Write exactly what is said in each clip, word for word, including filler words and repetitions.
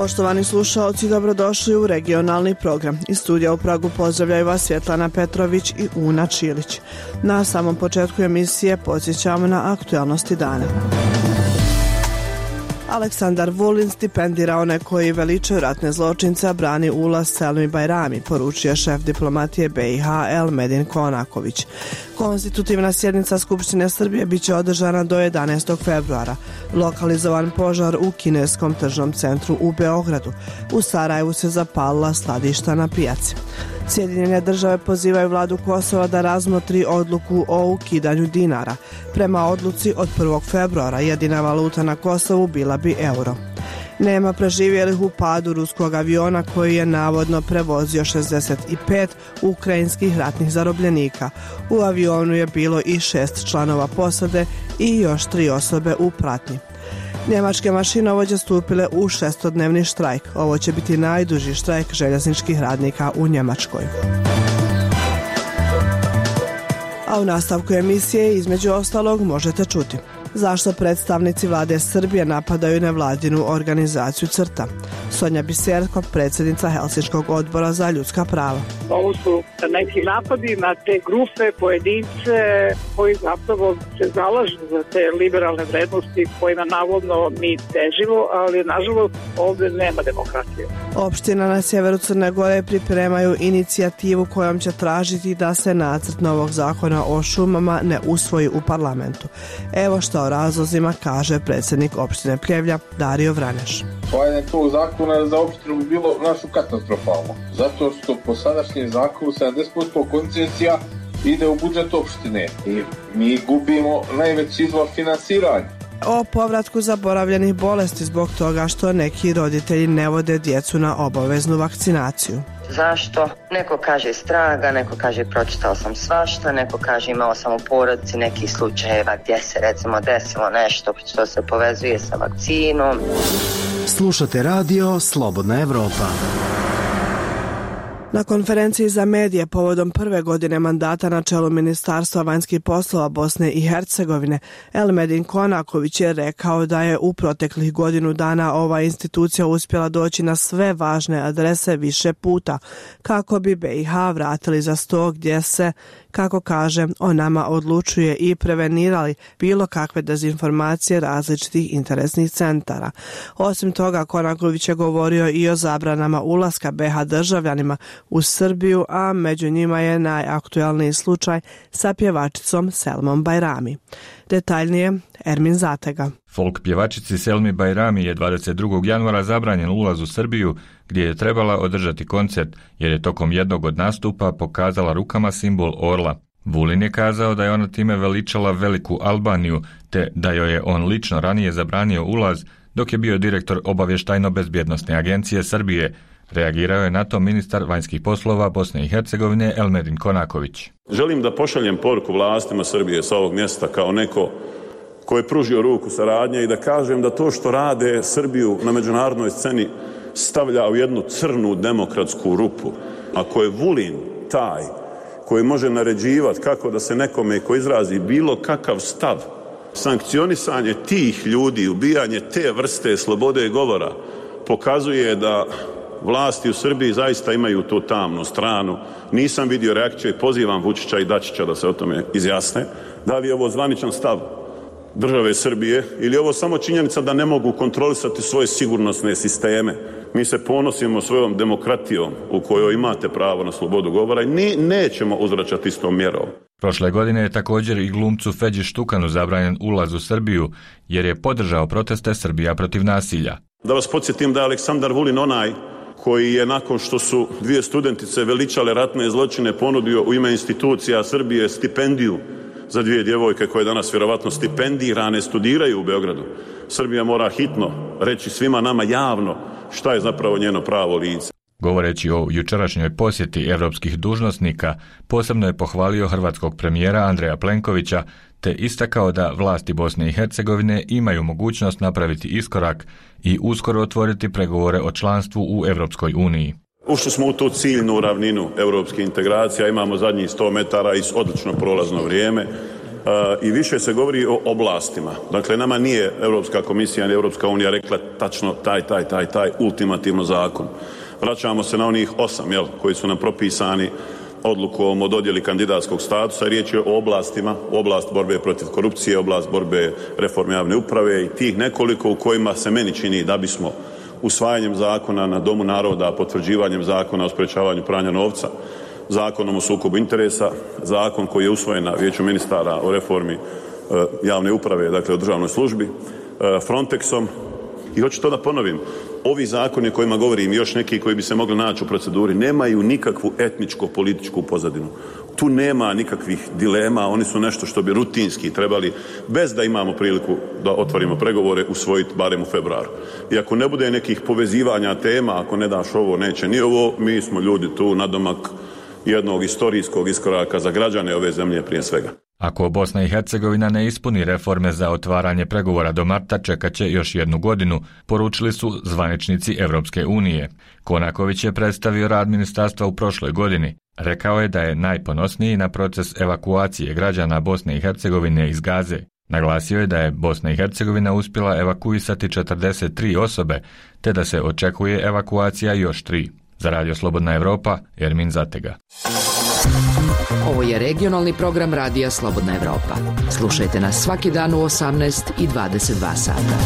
Poštovani slušaoci, dobrodošli u regionalni program. Iz studija u Pragu pozdravljaju vas Svjetlana Petrović i Una Čilić. Na samom početku emisije podsjećamo na aktualnosti dana. Aleksandar Vulin stipendira one koji veličaju ratne zločince, a brani ulaz Selmi Bajrami, poručio šef diplomatije B i H Elmedin Konaković. Konstitutivna sjednica Skupštine Srbije biće održana do jedanaestog februara. Lokalizovan požar u kineskom tržnom centru u Beogradu. U Sarajevu se zapalila skladišta na pijaci. Sjedinjene države pozivaju vladu Kosova da razmotri odluku o ukidanju dinara. Prema odluci od prvog februara jedina valuta na Kosovu bila bi euro. Nema preživjelih u padu ruskog aviona koji je navodno prevozio šezdeset pet ukrajinskih ratnih zarobljenika. U avionu je bilo i šest članova posade i još tri osobe u pratnji. Njemačke mašinovođe stupile u šestodnevni štrajk. Ovo će biti najduži štrajk željezničkih radnika u Njemačkoj. A u nastavku emisije između ostalog možete čuti: zašto predstavnici vlade Srbije napadaju nevladinu organizaciju CRTA? Sonja Biserko, predsjednica Helsinškog odbora za ljudska prava. Ovo su neki napadi na te grupe, pojedince koji zapravo se zalažu za te liberalne vrednosti kojima navodno mi težimo, ali nažalost ovdje nema demokratije. Opština na sjeveru Crne Gore pripremaju inicijativu kojom će tražiti da se nacrt novog zakona o šumama ne usvoji u parlamentu. Evo što o razlozima kaže predsjednik opštine Pljevlja Dario Vraneš. Usvajanje tog zakona za opštinu bi bilo našu katastrofalno, zato što po sadašnjem zakonu sedamdeset posto koncesija ide u budžet opštine i mi gubimo najveći izvor finansiranja. O povratku zaboravljenih bolesti zbog toga što neki roditelji ne vode djecu na obaveznu vakcinaciju. Zašto? Neko kaže iz traga, neko kaže pročitao sam svašta, neko kaže imao sam u porodici nekih slučajeva gdje se recimo desilo nešto što se povezuje sa vakcinom. Slušate radio Slobodna Evropa. Na konferenciji za medije povodom prve godine mandata na čelu Ministarstva vanjskih poslova Bosne i Hercegovine, Elmedin Konaković je rekao da je u proteklih godinu dana ova institucija uspjela doći na sve važne adrese više puta, kako bi B i H vratili za sto gdje se, kako kaže, o nama odlučuje i prevenirali bilo kakve dezinformacije različitih interesnih centara. Osim toga, Konaković je govorio i o zabranama ulaska B H državljanima u Srbiju, a među njima je najaktualniji slučaj sa pjevačicom Selmom Bajrami. Detaljnije, Ermin Zatega. Folk pjevačici Selmi Bajrami je dvadeset drugog januara zabranjen ulaz u Srbiju, gdje je trebala održati koncert, jer je tokom jednog od nastupa pokazala rukama simbol orla. Vulin je kazao da je ona time veličala veliku Albaniju, te da joj je on lično ranije zabranio ulaz dok je bio direktor obavještajno-bezbjednosne agencije Srbije. Reagirao je na to ministar vanjskih poslova Bosne i Hercegovine Elmedin Konaković. Želim da pošaljem poruku vlastima Srbije sa ovog mjesta kao neko ko je pružio ruku saradnje i da kažem da to što rade Srbiju na međunarodnoj sceni stavlja u jednu crnu demokratsku rupu. Ako je Vulin taj koji može naređivati kako da se nekome ko izrazi bilo kakav stav, sankcionisanje tih ljudi, ubijanje te vrste slobode govora pokazuje da vlasti u Srbiji zaista imaju tu tamnu stranu. Nisam vidio reakciju i pozivam Vučića i Dačića da se o tome izjasne. Da li je ovo zvaničan stav države Srbije ili je ovo samo činjenica da ne mogu kontrolisati svoje sigurnosne sisteme? Mi se ponosimo svojom demokratijom u kojoj imate pravo na slobodu govora i ni, nećemo uzvraćati istom mjerom. Prošle godine je također i glumcu Feđi Štukanu zabranjen ulaz u Srbiju jer je podržao proteste Srbija protiv nasilja. Da vas podsjetim da je Aleksandar Vulin onaj koji je nakon što su dvije studentice veličale ratne zločine ponudio u ime institucija Srbije stipendiju za dvije djevojke koje danas vjerovatno stipendirane studiraju u Beogradu. Srbija mora hitno reći svima nama javno šta je zapravo njeno pravo lice. Govoreći o jučerašnjoj posjeti evropskih dužnosnika, posebno je pohvalio hrvatskog premijera Andreja Plenkovića, te istakao da vlasti Bosne i Hercegovine imaju mogućnost napraviti iskorak i uskoro otvoriti pregovore o članstvu u Europskoj uniji. Ušli smo u tu ciljnu ravninu europske integracije, imamo zadnjih sto metara i odlično prolazno vrijeme. i više se govori o oblastima. Dakle, nama nije Europska komisija ni Europska unija rekla tačno taj, taj, taj, taj ultimativno zakon. Vraćamo se na onih osam, jel, koji su nam propisani odlukom o dodjeli kandidatskog statusa. Riječ je o oblastima, oblast borbe protiv korupcije, oblast borbe reforme javne uprave i tih nekoliko u kojima se meni čini da bismo usvajanjem zakona na Domu naroda, potvrđivanjem zakona o sprečavanju pranja novca, zakonom o sukobu interesa, zakon koji je usvojen na Vijeću ministara o reformi e, javne uprave, dakle o državnoj službi, e, Frontexom. I hoću to da ponovim, ovi zakoni o kojima govorim i još neki koji bi se mogli naći u proceduri nemaju nikakvu etničko-političku pozadinu. Tu nema nikakvih dilema, oni su nešto što bi rutinski trebali, bez da imamo priliku da otvorimo pregovore, usvojiti barem u februaru. I ako ne bude nekih povezivanja tema, ako ne daš ovo, neće ni ovo, mi smo ljudi tu nadomak jednog istorijskog iskoraka za građane ove zemlje prije svega. Ako Bosna i Hercegovina ne ispuni reforme za otvaranje pregovora do marta, čekat će još jednu godinu, poručili su zvaničnici Evropske unije. Konaković je predstavio rad ministarstva u prošloj godini. Rekao je da je najponosniji na proces evakuacije građana Bosne i Hercegovine iz Gaze. Naglasio je da je Bosna i Hercegovina uspjela evakuisati četrdeset tri osobe, te da se očekuje evakuacija još tri. Za Radio Slobodna Evropa, Ermin Zatega. Ovo je regionalni program Radija Slobodna Evropa. Slušajte nas svaki dan u osamnaest i dvadeset dva sata.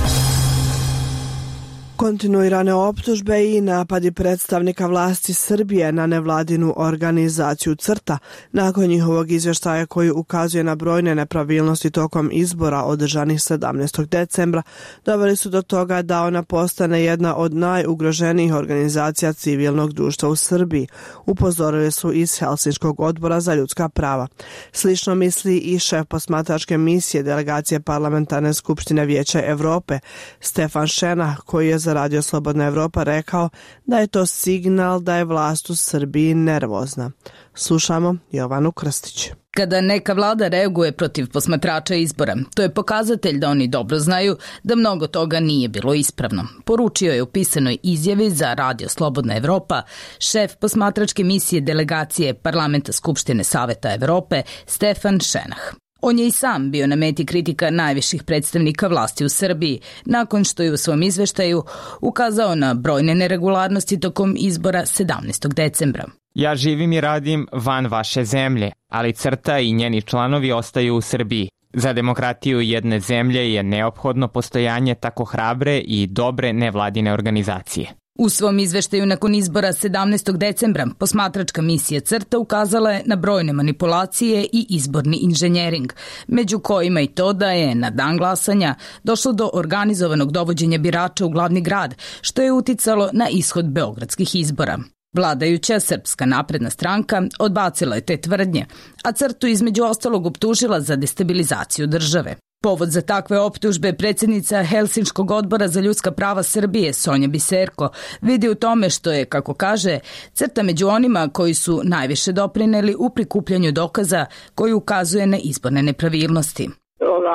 Kontinuirane optužbe i napadi predstavnika vlasti Srbije na nevladinu organizaciju CRTA nakon njihovog izvještaja koji ukazuje na brojne nepravilnosti tokom izbora održanih sedamnaestog decembra doveli su do toga da ona postane jedna od najugroženijih organizacija civilnog društva u Srbiji, upozorili su iz Helsinškog odbora za ljudska prava. Slično misli i šef posmatračke misije delegacije Parlamentarne skupštine Vijeća Evrope, Stefan Šenah, koji je za Radio Slobodna Evropa rekao da je to signal da je vlast u Srbiji nervozna. Slušamo Jovanu Krstić. Kada neka vlada reaguje protiv posmatrača izbora, to je pokazatelj da oni dobro znaju da mnogo toga nije bilo ispravno. Poručio je u pisanoj izjavi za Radio Slobodna Evropa šef posmatračke misije delegacije Parlamenta Skupštine Saveta Evrope Stefan Šenah. On je i sam bio na meti kritika najviših predstavnika vlasti u Srbiji, nakon što je u svom izveštaju ukazao na brojne neregularnosti tokom izbora sedamnaestog decembra. Ja živim i radim van vaše zemlje, ali CRTA i njeni članovi ostaju u Srbiji. Za demokratiju jedne zemlje je neophodno postojanje tako hrabre i dobre nevladine organizacije. U svom izveštaju nakon izbora sedamnaestog decembra posmatračka misija CRTA ukazala je na brojne manipulacije i izborni inženjering, među kojima i to da je na dan glasanja došlo do organizovanog dovođenja birača u glavni grad, što je uticalo na ishod beogradskih izbora. Vladajuća Srpska napredna stranka odbacila je te tvrdnje, a CRTU između ostalog optužila za destabilizaciju države. Povod za takve optužbe predsjednica Helsinškog odbora za ljudska prava Srbije Sonja Biserko vidi u tome što je, kako kaže, CRTA među onima koji su najviše doprineli u prikupljanju dokaza koji ukazuje na izborne nepravilnosti.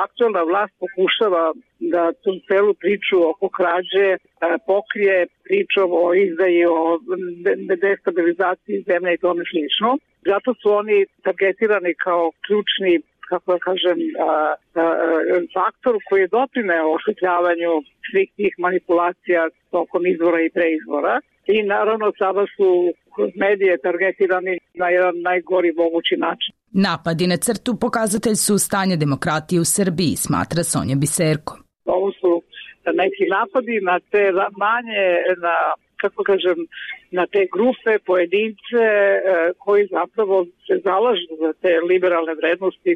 Aktualna vlast pokušava da tu celu priču oko krađe pokrije pričom o izdaji, o destabilizaciji zemlje i tome slično. Zato su oni targetirani kao ključni, kako da kažem, a, a, faktor koji je doprineo osvetljavanju svih tih manipulacija tokom izbora i preizbora. I naravno sada su kroz medije targetirani na jedan najgori mogući način. Napadi na CRTU pokazatelj su stanja demokratije u Srbiji, smatra Sonja Biserko. Ovo su neki napadi na te manje, na, kako kažem, na te grupe, pojedince koji zapravo se zalažu za te liberalne vrednosti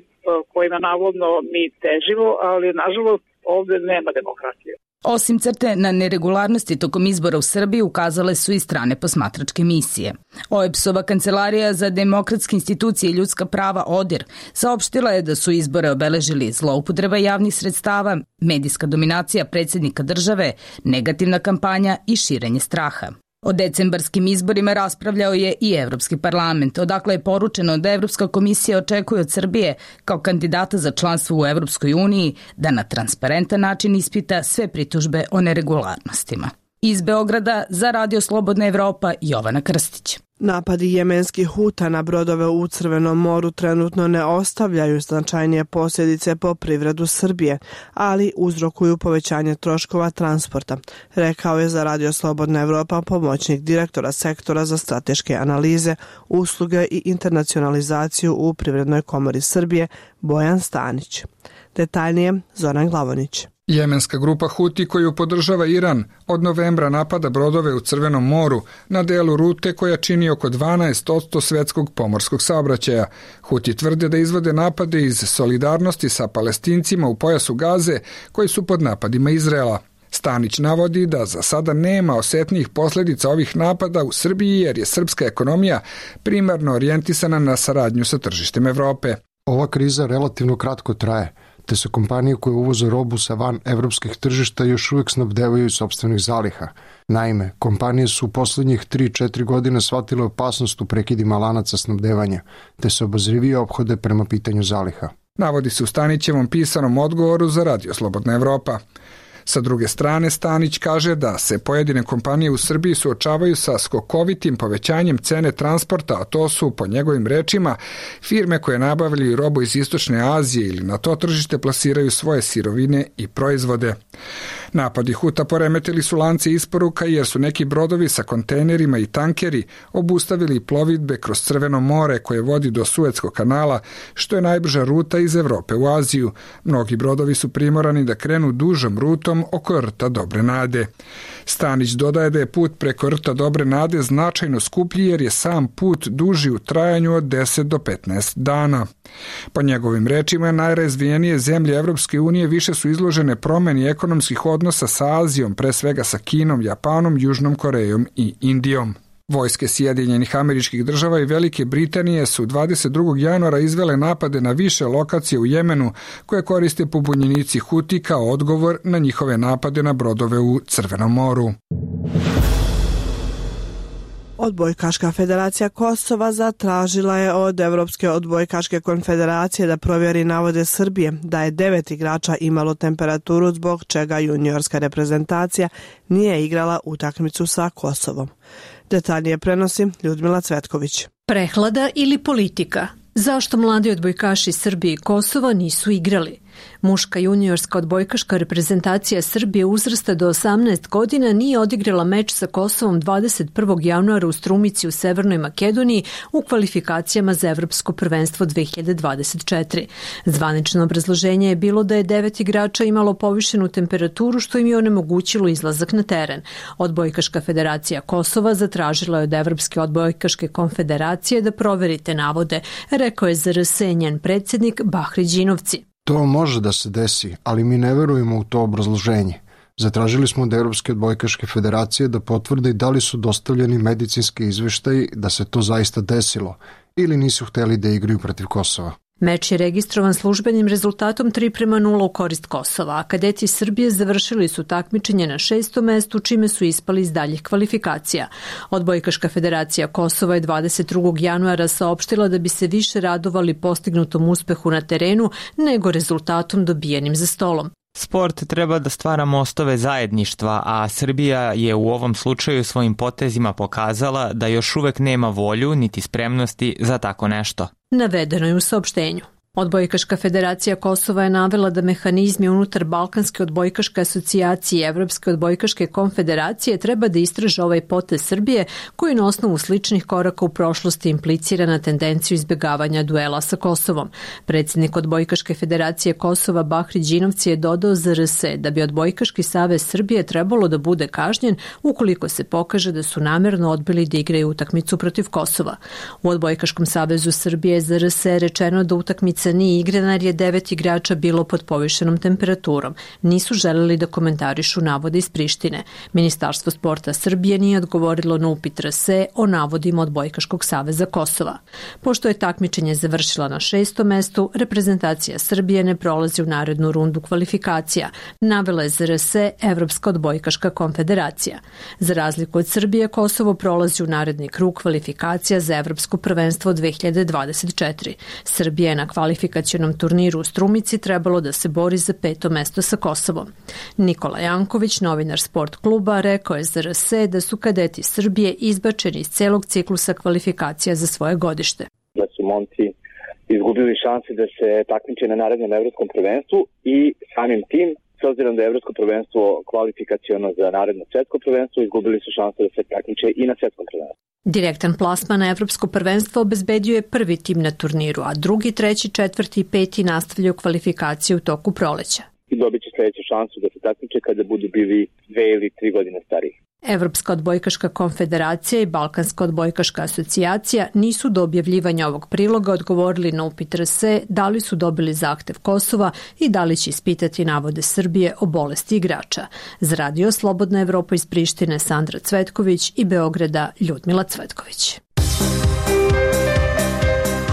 kojima navodno mi težimo, ali nažalost ovdje nema demokratije. Osim CRTE na neregularnosti tokom izbora u Srbiji ukazale su i strane posmatračke misije. O E P S-ova kancelarija za demokratske institucije i ljudska prava ODIR saopštila je da su izbore obeležili zloupotreba javnih sredstava, medijska dominacija predsjednika države, negativna kampanja i širenje straha. O decembarskim izborima raspravljao je i Evropski parlament, odakle je poručeno da Evropska komisija očekuje od Srbije kao kandidata za članstvo u Evropskoj uniji da na transparentan način ispita sve pritužbe o neregularnostima. Iz Beograda za Radio Slobodna Evropa Jovana Krstić. Napadi jemenskih Huta na brodove u Crvenom moru trenutno ne ostavljaju značajnije posljedice po privredu Srbije, ali uzrokuju povećanje troškova transporta, rekao je za Radio Slobodna Evropa pomoćnik direktora sektora za strateške analize, usluge i internacionalizaciju u Privrednoj komori Srbije Bojan Stanić. Detaljnije Zoran Glavonić. Jemenska grupa Huti koju podržava Iran od novembra napada brodove u Crvenom moru na delu rute koja čini oko dvanaest posto svetskog pomorskog saobraćaja. Huti tvrde da izvode napade iz solidarnosti sa Palestincima u pojasu Gaze koji su pod napadima Izraela. Stanić navodi da za sada nema osetnijih posljedica ovih napada u Srbiji jer je srpska ekonomija primarno orijentisana na saradnju sa tržištem Evrope. Ova kriza relativno kratko traje, te se kompanije koje uvoze robu sa van evropskih tržišta još uvijek snabdevaju iz sopstvenih zaliha. Naime, kompanije su u posljednjih tri do četiri godine shvatile opasnost u prekidima lanaca snabdevanja, te se obazrivije ophode prema pitanju zaliha. Navodi se u Stanićevom pisanom odgovoru za Radio Slobodna Evropa. Sa druge strane, Stanić kaže da se pojedine kompanije u Srbiji suočavaju sa skokovitim povećanjem cene transporta, a to su, po njegovim rečima, firme koje nabavljaju robu iz Istočne Azije ili na to tržište plasiraju svoje sirovine i proizvode. Napadi Huta poremetili su lance isporuka jer su neki brodovi sa kontejnerima i tankeri obustavili plovidbe kroz Crveno more koje vodi do Suetskog kanala, što je najbrža ruta iz Evrope u Aziju. Mnogi brodovi su primorani da krenu dužom rutom oko rta Dobre Nade. Stanić dodaje da je put preko rta Dobre Nade značajno skuplji jer je sam put duži u trajanju od deset do petnaest dana. Po njegovim rečima, najrazvijenije zemlje Evropske unije više su izložene promjeni ekonomskih odnosa sa Azijom, pre svega sa Kinom, Japanom, Južnom Korejom i Indijom. Vojske Sjedinjenih Američkih Država i Velike Britanije su dvadeset drugog januara izvele napade na više lokacije u Jemenu koje koriste pobunjenici Huti kao odgovor na njihove napade na brodove u Crvenom moru. Odbojkaška federacija Kosova zatražila je od Evropske odbojkaške konfederacije da provjeri navode Srbije da je devet igrača imalo temperaturu zbog čega juniorska reprezentacija nije igrala utakmicu sa Kosovom. Detaljnije prenosi Ljudmila Cvetković. Prehlada ili politika? Zašto mladi odbojkaši Srbije i Kosova nisu igrali? Muška juniorska odbojkaška reprezentacija Srbije uzrasta do osamnaest godina nije odigrala meč sa Kosovom dvadeset prvog januara u Strumici u Severnoj Makedoniji u kvalifikacijama za Evropsko prvenstvo dve hiljade dvadeset četiri. Zvanično obrazloženje je bilo da je devet igrača imalo povišenu temperaturu što im je onemogućilo izlazak na teren. Odbojkaška federacija Kosova zatražila je od Evropske odbojkaške konfederacije da proverite navode, rekao je Z R S njen predsjednik Bahri Đinovci. To može da se desi, ali mi ne verujemo u to obrazloženje. Zatražili smo od Evropske odbojkaške federacije da potvrde da li su dostavljeni medicinski izveštaji da se to zaista desilo ili nisu hteli da igraju protiv Kosova. Meč je registrovan službenim rezultatom tri prema nula u korist Kosova, a kadeti Srbije završili su takmičenje na šestom mestu, čime su ispali iz daljih kvalifikacija. Odbojkaška federacija Kosova je dvadeset drugog januara saopštila da bi se više radovali postignutom uspehu na terenu nego rezultatom dobijenim za stolom. Sport treba da stvara mostove zajedništva, a Srbija je u ovom slučaju svojim potezima pokazala da još uvek nema volju niti spremnosti za tako nešto. Navedeno je u saopštenju. Odbojkaška federacija Kosova je navela da mehanizmi unutar Balkanske odbojkaške asocijacije i Evropske odbojkaške konfederacije treba da istraže ovaj potez Srbije koji na osnovu sličnih koraka u prošlosti implicira na tendenciju izbjegavanja duela sa Kosovom. Predsjednik Odbojkaške federacije Kosova Bahri Đinovci je dodao Z R S da bi Odbojkaški savez Srbije trebalo da bude kažnjen ukoliko se pokaže da su namerno odbili da igraju utakmicu protiv Kosova. U Odbojkaškom savezu Srbije Z R S je rečeno da utakmica nije igrana jer je devet igrača bilo pod povišenom temperaturom. Nisu želeli da komentarišu navode iz Prištine. Ministarstvo sporta Srbije nije odgovorilo na upit R S E o navodima Odbojkaškog saveza Kosova. Pošto je takmičenje završila na šestom mestu, reprezentacija Srbije ne prolazi u narednu rundu kvalifikacija, navela je Z R S E Evropska odbojkaška konfederacija. Za razliku od Srbije, Kosovo prolazi u naredni krug kvalifikacija za Evropsko prvenstvo dve hiljade dvadeset četiri. Srbija je na kvalifikacijama kvalifikacionom turniru u Strumici trebalo da se bori za peto mesto sa Kosovom. Nikola Janković, novinar Sport kluba, rekao je za R S da su kadeti Srbije izbačeni iz celog ciklusa kvalifikacija za svoje godište. Da su momci izgubili šanse da se takmiče na narednom evropskom prvenstvu i samim tim, s obzirom da je evropsko prvenstvo kvalifikaciono za naredno svetsko prvenstvo, izgubili su šanse da se takmiče i na svetskom prvenstvu. Direktan plasman na evropsko prvenstvo obezbedio je prvi tim na turniru, a drugi, treći, četvrti i peti nastavljaju kvalifikacije u toku proleća. I dobit će sljedeću šansu da se takmiče kada budu bili dve ili tri godine stariji. Evropska odbojkaška konfederacija i Balkanska odbojkaška asocijacija nisu do objavljivanja ovog priloga odgovorili na upit R S da li su dobili zahtev Kosova i da li će ispitati navode Srbije o bolesti igrača. Za Radio Slobodna Evropa iz Prištine Sandra Cvetković i Beograda Ljudmila Cvetković.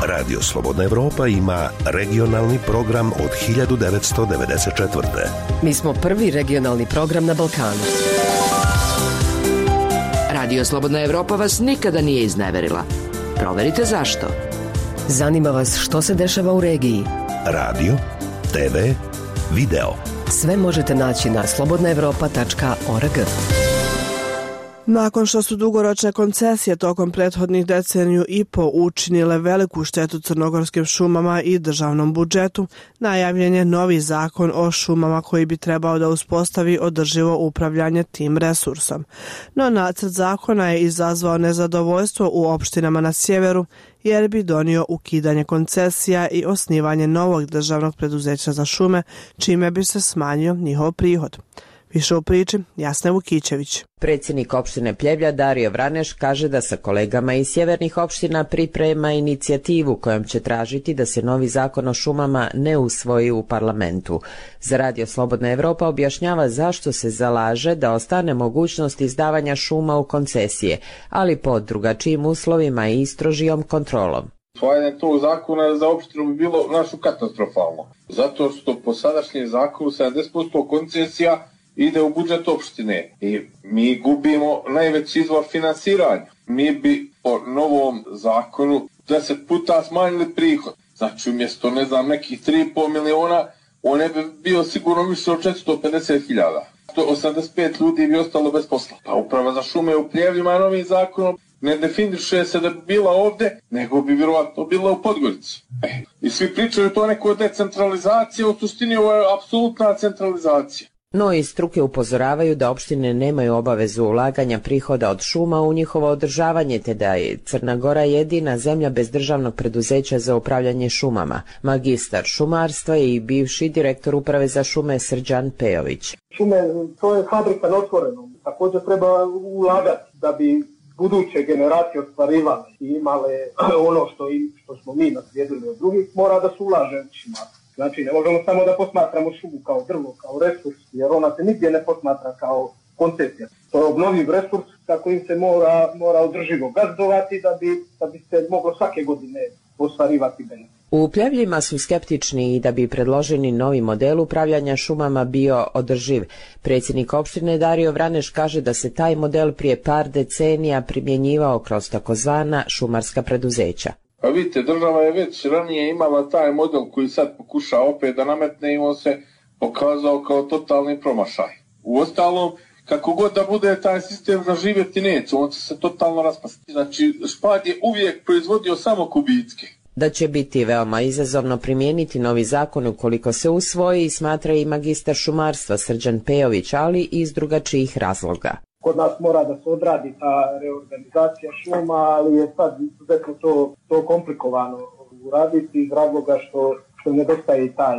Radio Slobodna Evropa ima regionalni program od hiljadu devetsto devedeset četvrte. Mi smo prvi regionalni program na Balkanu. Radio Slobodna Evropa vas nikada nije izneverila. Proverite zašto. Zanima vas što se dešava u regiji. Radio, te ve, video. Sve možete naći na slobodna evropa tačka org. Nakon što su dugoročne koncesije tokom prethodnih deceniju i po učinile veliku štetu crnogorskim šumama i državnom budžetu, najavljen je novi zakon o šumama koji bi trebao da uspostavi održivo upravljanje tim resursom. No nacrt zakona je izazvao nezadovoljstvo u opštinama na sjeveru jer bi donio ukidanje koncesija i osnivanje novog državnog preduzeća za šume, čime bi se smanjio njihov prihod. Više u priči Jasna Vukićević. Predsjednik opštine Pljevlja Dario Vraneš kaže da sa kolegama iz sjevernih opština priprema inicijativu kojom će tražiti da se novi zakon o šumama ne usvoji u parlamentu. Za Radio Slobodna Evropa objašnjava zašto se zalaže da ostane mogućnost izdavanja šuma u koncesije, ali pod drugačijim uslovima i strožijom kontrolom. Usvajanje tog zakona za opštinu bi bilo našu katastrofalno, zato što po sadašnjem zakonu sedamdeset posto koncesija ide u budžet opštine i mi gubimo najveći izvor finansiranja. Mi bi po novom zakonu deset puta smanjili prihod. Znači umjesto, ne znam, nekih tri i pol miliona, on ne bi bio sigurno više od četiristo pedeset hiljada. osamdeset pet ljudi bi ostalo bez posla. Pa uprava za šume u Pljevljima novim zakonom ne definiše se da bi bila ovde, nego bi vjerovatno bila u Podgorici. E, I svi pričaju to neko decentralizacija, u suštini ovo je apsolutna centralizacija. No i struke upozoravaju da opštine nemaju obavezu ulaganja prihoda od šuma u njihovo održavanje, te da je Crna Gora jedina zemlja bez državnog preduzeća za upravljanje šumama. Magistar šumarstva i bivši direktor uprave za šume Srđan Pejović. Šume, to je fabrika na otvorenom. Također treba ulagati da bi buduće generacije ostvarivale i imale ono što, im, što smo mi naslijedili od drugih, mora da se ulaže u šumarstvo. Znači, ne možemo samo da posmatramo šumu kao drvo, kao resurs, jer ona se nigdje ne posmatra kao koncesija. To je obnovljiv resurs kako im se mora, mora održivo gazdovati da bi, da bi se moglo svake godine ostvarivati benefit. U Pljevljima su skeptični i da bi predloženi novi model upravljanja šumama bio održiv. Predsjednik opštine Dario Vraneš kaže da se taj model prije par decenija primjenjivao kroz takozvana šumarska preduzeća. Pa vidite, država je već ranije imala taj model koji sad pokuša opet da nametne i on se pokazao kao totalni promašaj. Uostalom, kako god da bude taj sistem zaživjeti neće, on će se totalno raspasti. Znači, Špad je uvijek proizvodio samo kubicke. Da će biti veoma izazovno primijeniti novi zakon ukoliko se usvoji, smatra i magistar šumarstva Srđan Pejović, ali iz drugačijih razloga. Kod nas mora da se odradi ta reorganizacija šuma, ali je sad izuzetno to, to komplikovano uraditi iz razloga što, što nedostaje i taj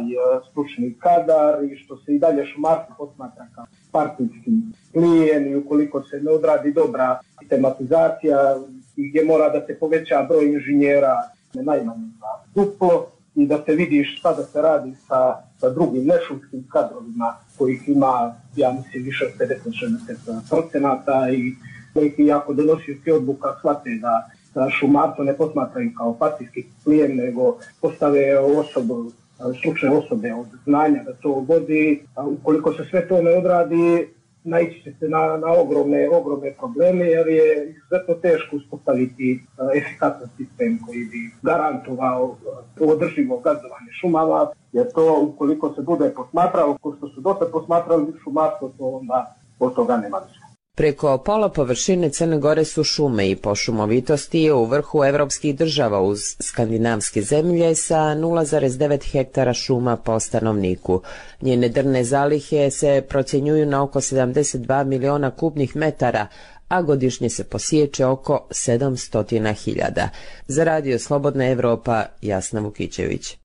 stručni kadar i što se i dalje šumarstvo posmatra kao partijski plijen i ukoliko se ne odradi dobra tematizacija i gdje mora da se poveća broj inženjera najmanje za duplo i da se vidiš šta da se radi sa, sa drugim nešumskim kadrovima kojih ima, ja mislim, više od pedeset do šezdeset procenata i neki jako donosioci odluka shvate da, da šumarstvo ne posmatraju kao partijski plijen, nego postave osobu, stručne osobe od znanja da to vodi. A ukoliko se sve to ne odradi, naići će se na, na ogromne, ogromne probleme jer je izuzetno teško uspostaviti efikasan sistem koji bi garantovao održivo gazdovanje šumama, jer to ukoliko se bude posmatralo, ko što su dosta posmatrali šumarstvo, to onda od toga nema ništa. Preko pola površine Crne Gore su šume i po šumovitosti je u vrhu evropskih država uz skandinavske zemlje sa nula zarez devet hektara šuma po stanovniku. Njene drvne zalihe se procjenjuju na oko sedamdeset dva miliona kubnih metara, a godišnje se posječe oko sedamsto hiljada. Za Radio Slobodna Evropa, Jasna Vukićević.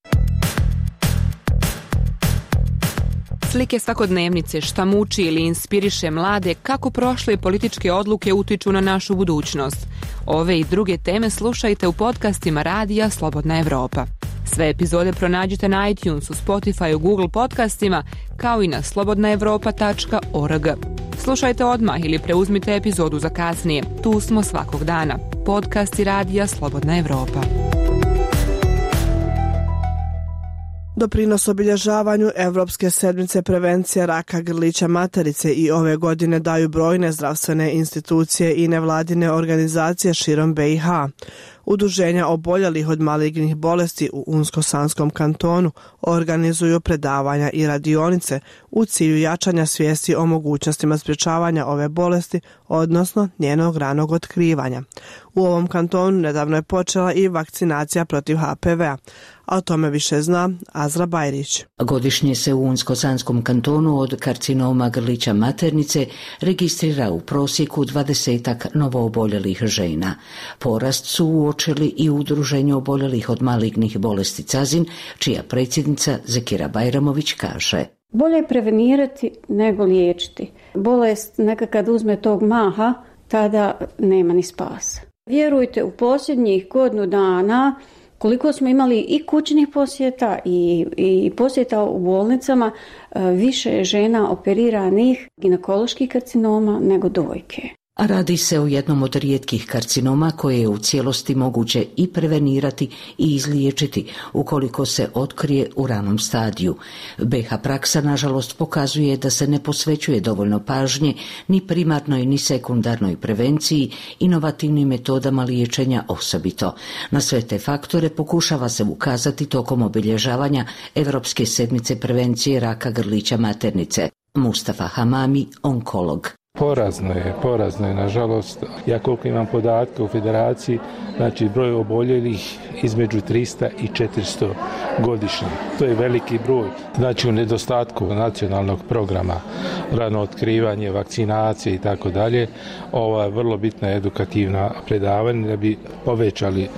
Slike svakodnevnice, šta muči ili inspiriše mlade, kako prošle političke odluke utiču na našu budućnost. Ove i druge teme slušajte u podcastima Radija Slobodna Evropa. Sve epizode pronađite na iTunesu, Spotifyu, Google podcastima, kao i na slobodna evropa tačka org. Slušajte odmah ili preuzmite epizodu za kasnije. Tu smo svakog dana. Podcasti Radija Slobodna Evropa. Doprinos obilježavanju Evropske sedmice prevencije raka grlića materice i ove godine daju brojne zdravstvene institucije i nevladine organizacije širom B i H. Udruženja oboljelih od malignih bolesti u Unsko-Sanskom kantonu organizuju predavanja i radionice u cilju jačanja svijesti o mogućnostima sprječavanja ove bolesti, odnosno njenog ranog otkrivanja. U ovom kantonu nedavno je počela i vakcinacija protiv H P V-a, a o tome više zna Azra Bajrić. Godišnje se u Unsko-Sanskom kantonu od karcinoma grlića maternice registrira u prosjeku dvadesetak novooboljelih žena. Porast su uočili i u Udruženju oboljelih od malignih bolesti Cazin, čija predsjednica Zekira Bajramović kaže: Bolje je prevenirati nego liječiti. Bolest neka kad uzme tog maha, tada nema ni spasa. Vjerujte, u posljednjih godinu dana koliko smo imali i kućnih posjeta i, i posjeta u bolnicama, više je žena operiranih ginekoloških karcinoma nego dojke. A radi se o jednom od rijetkih karcinoma koje je u cijelosti moguće i prevenirati i izliječiti ukoliko se otkrije u ranom stadiju. B H praksa nažalost pokazuje da se ne posvećuje dovoljno pažnje ni primarnoj ni sekundarnoj prevenciji, inovativnim metodama liječenja osobito. Na sve te faktore pokušava se ukazati tokom obilježavanja Evropske sedmice prevencije raka grlića maternice. Mustafa Hamami, onkolog. Porazno je, porazno je, nažalost. Ja koliko imam podatke u federaciji, znači broj oboljelih između trista i četiristo godišnje. To je veliki broj. Znači u nedostatku nacionalnog programa, rano otkrivanje, vakcinacije i tako dalje, ova je vrlo bitna edukativna predavanja da bi povećali,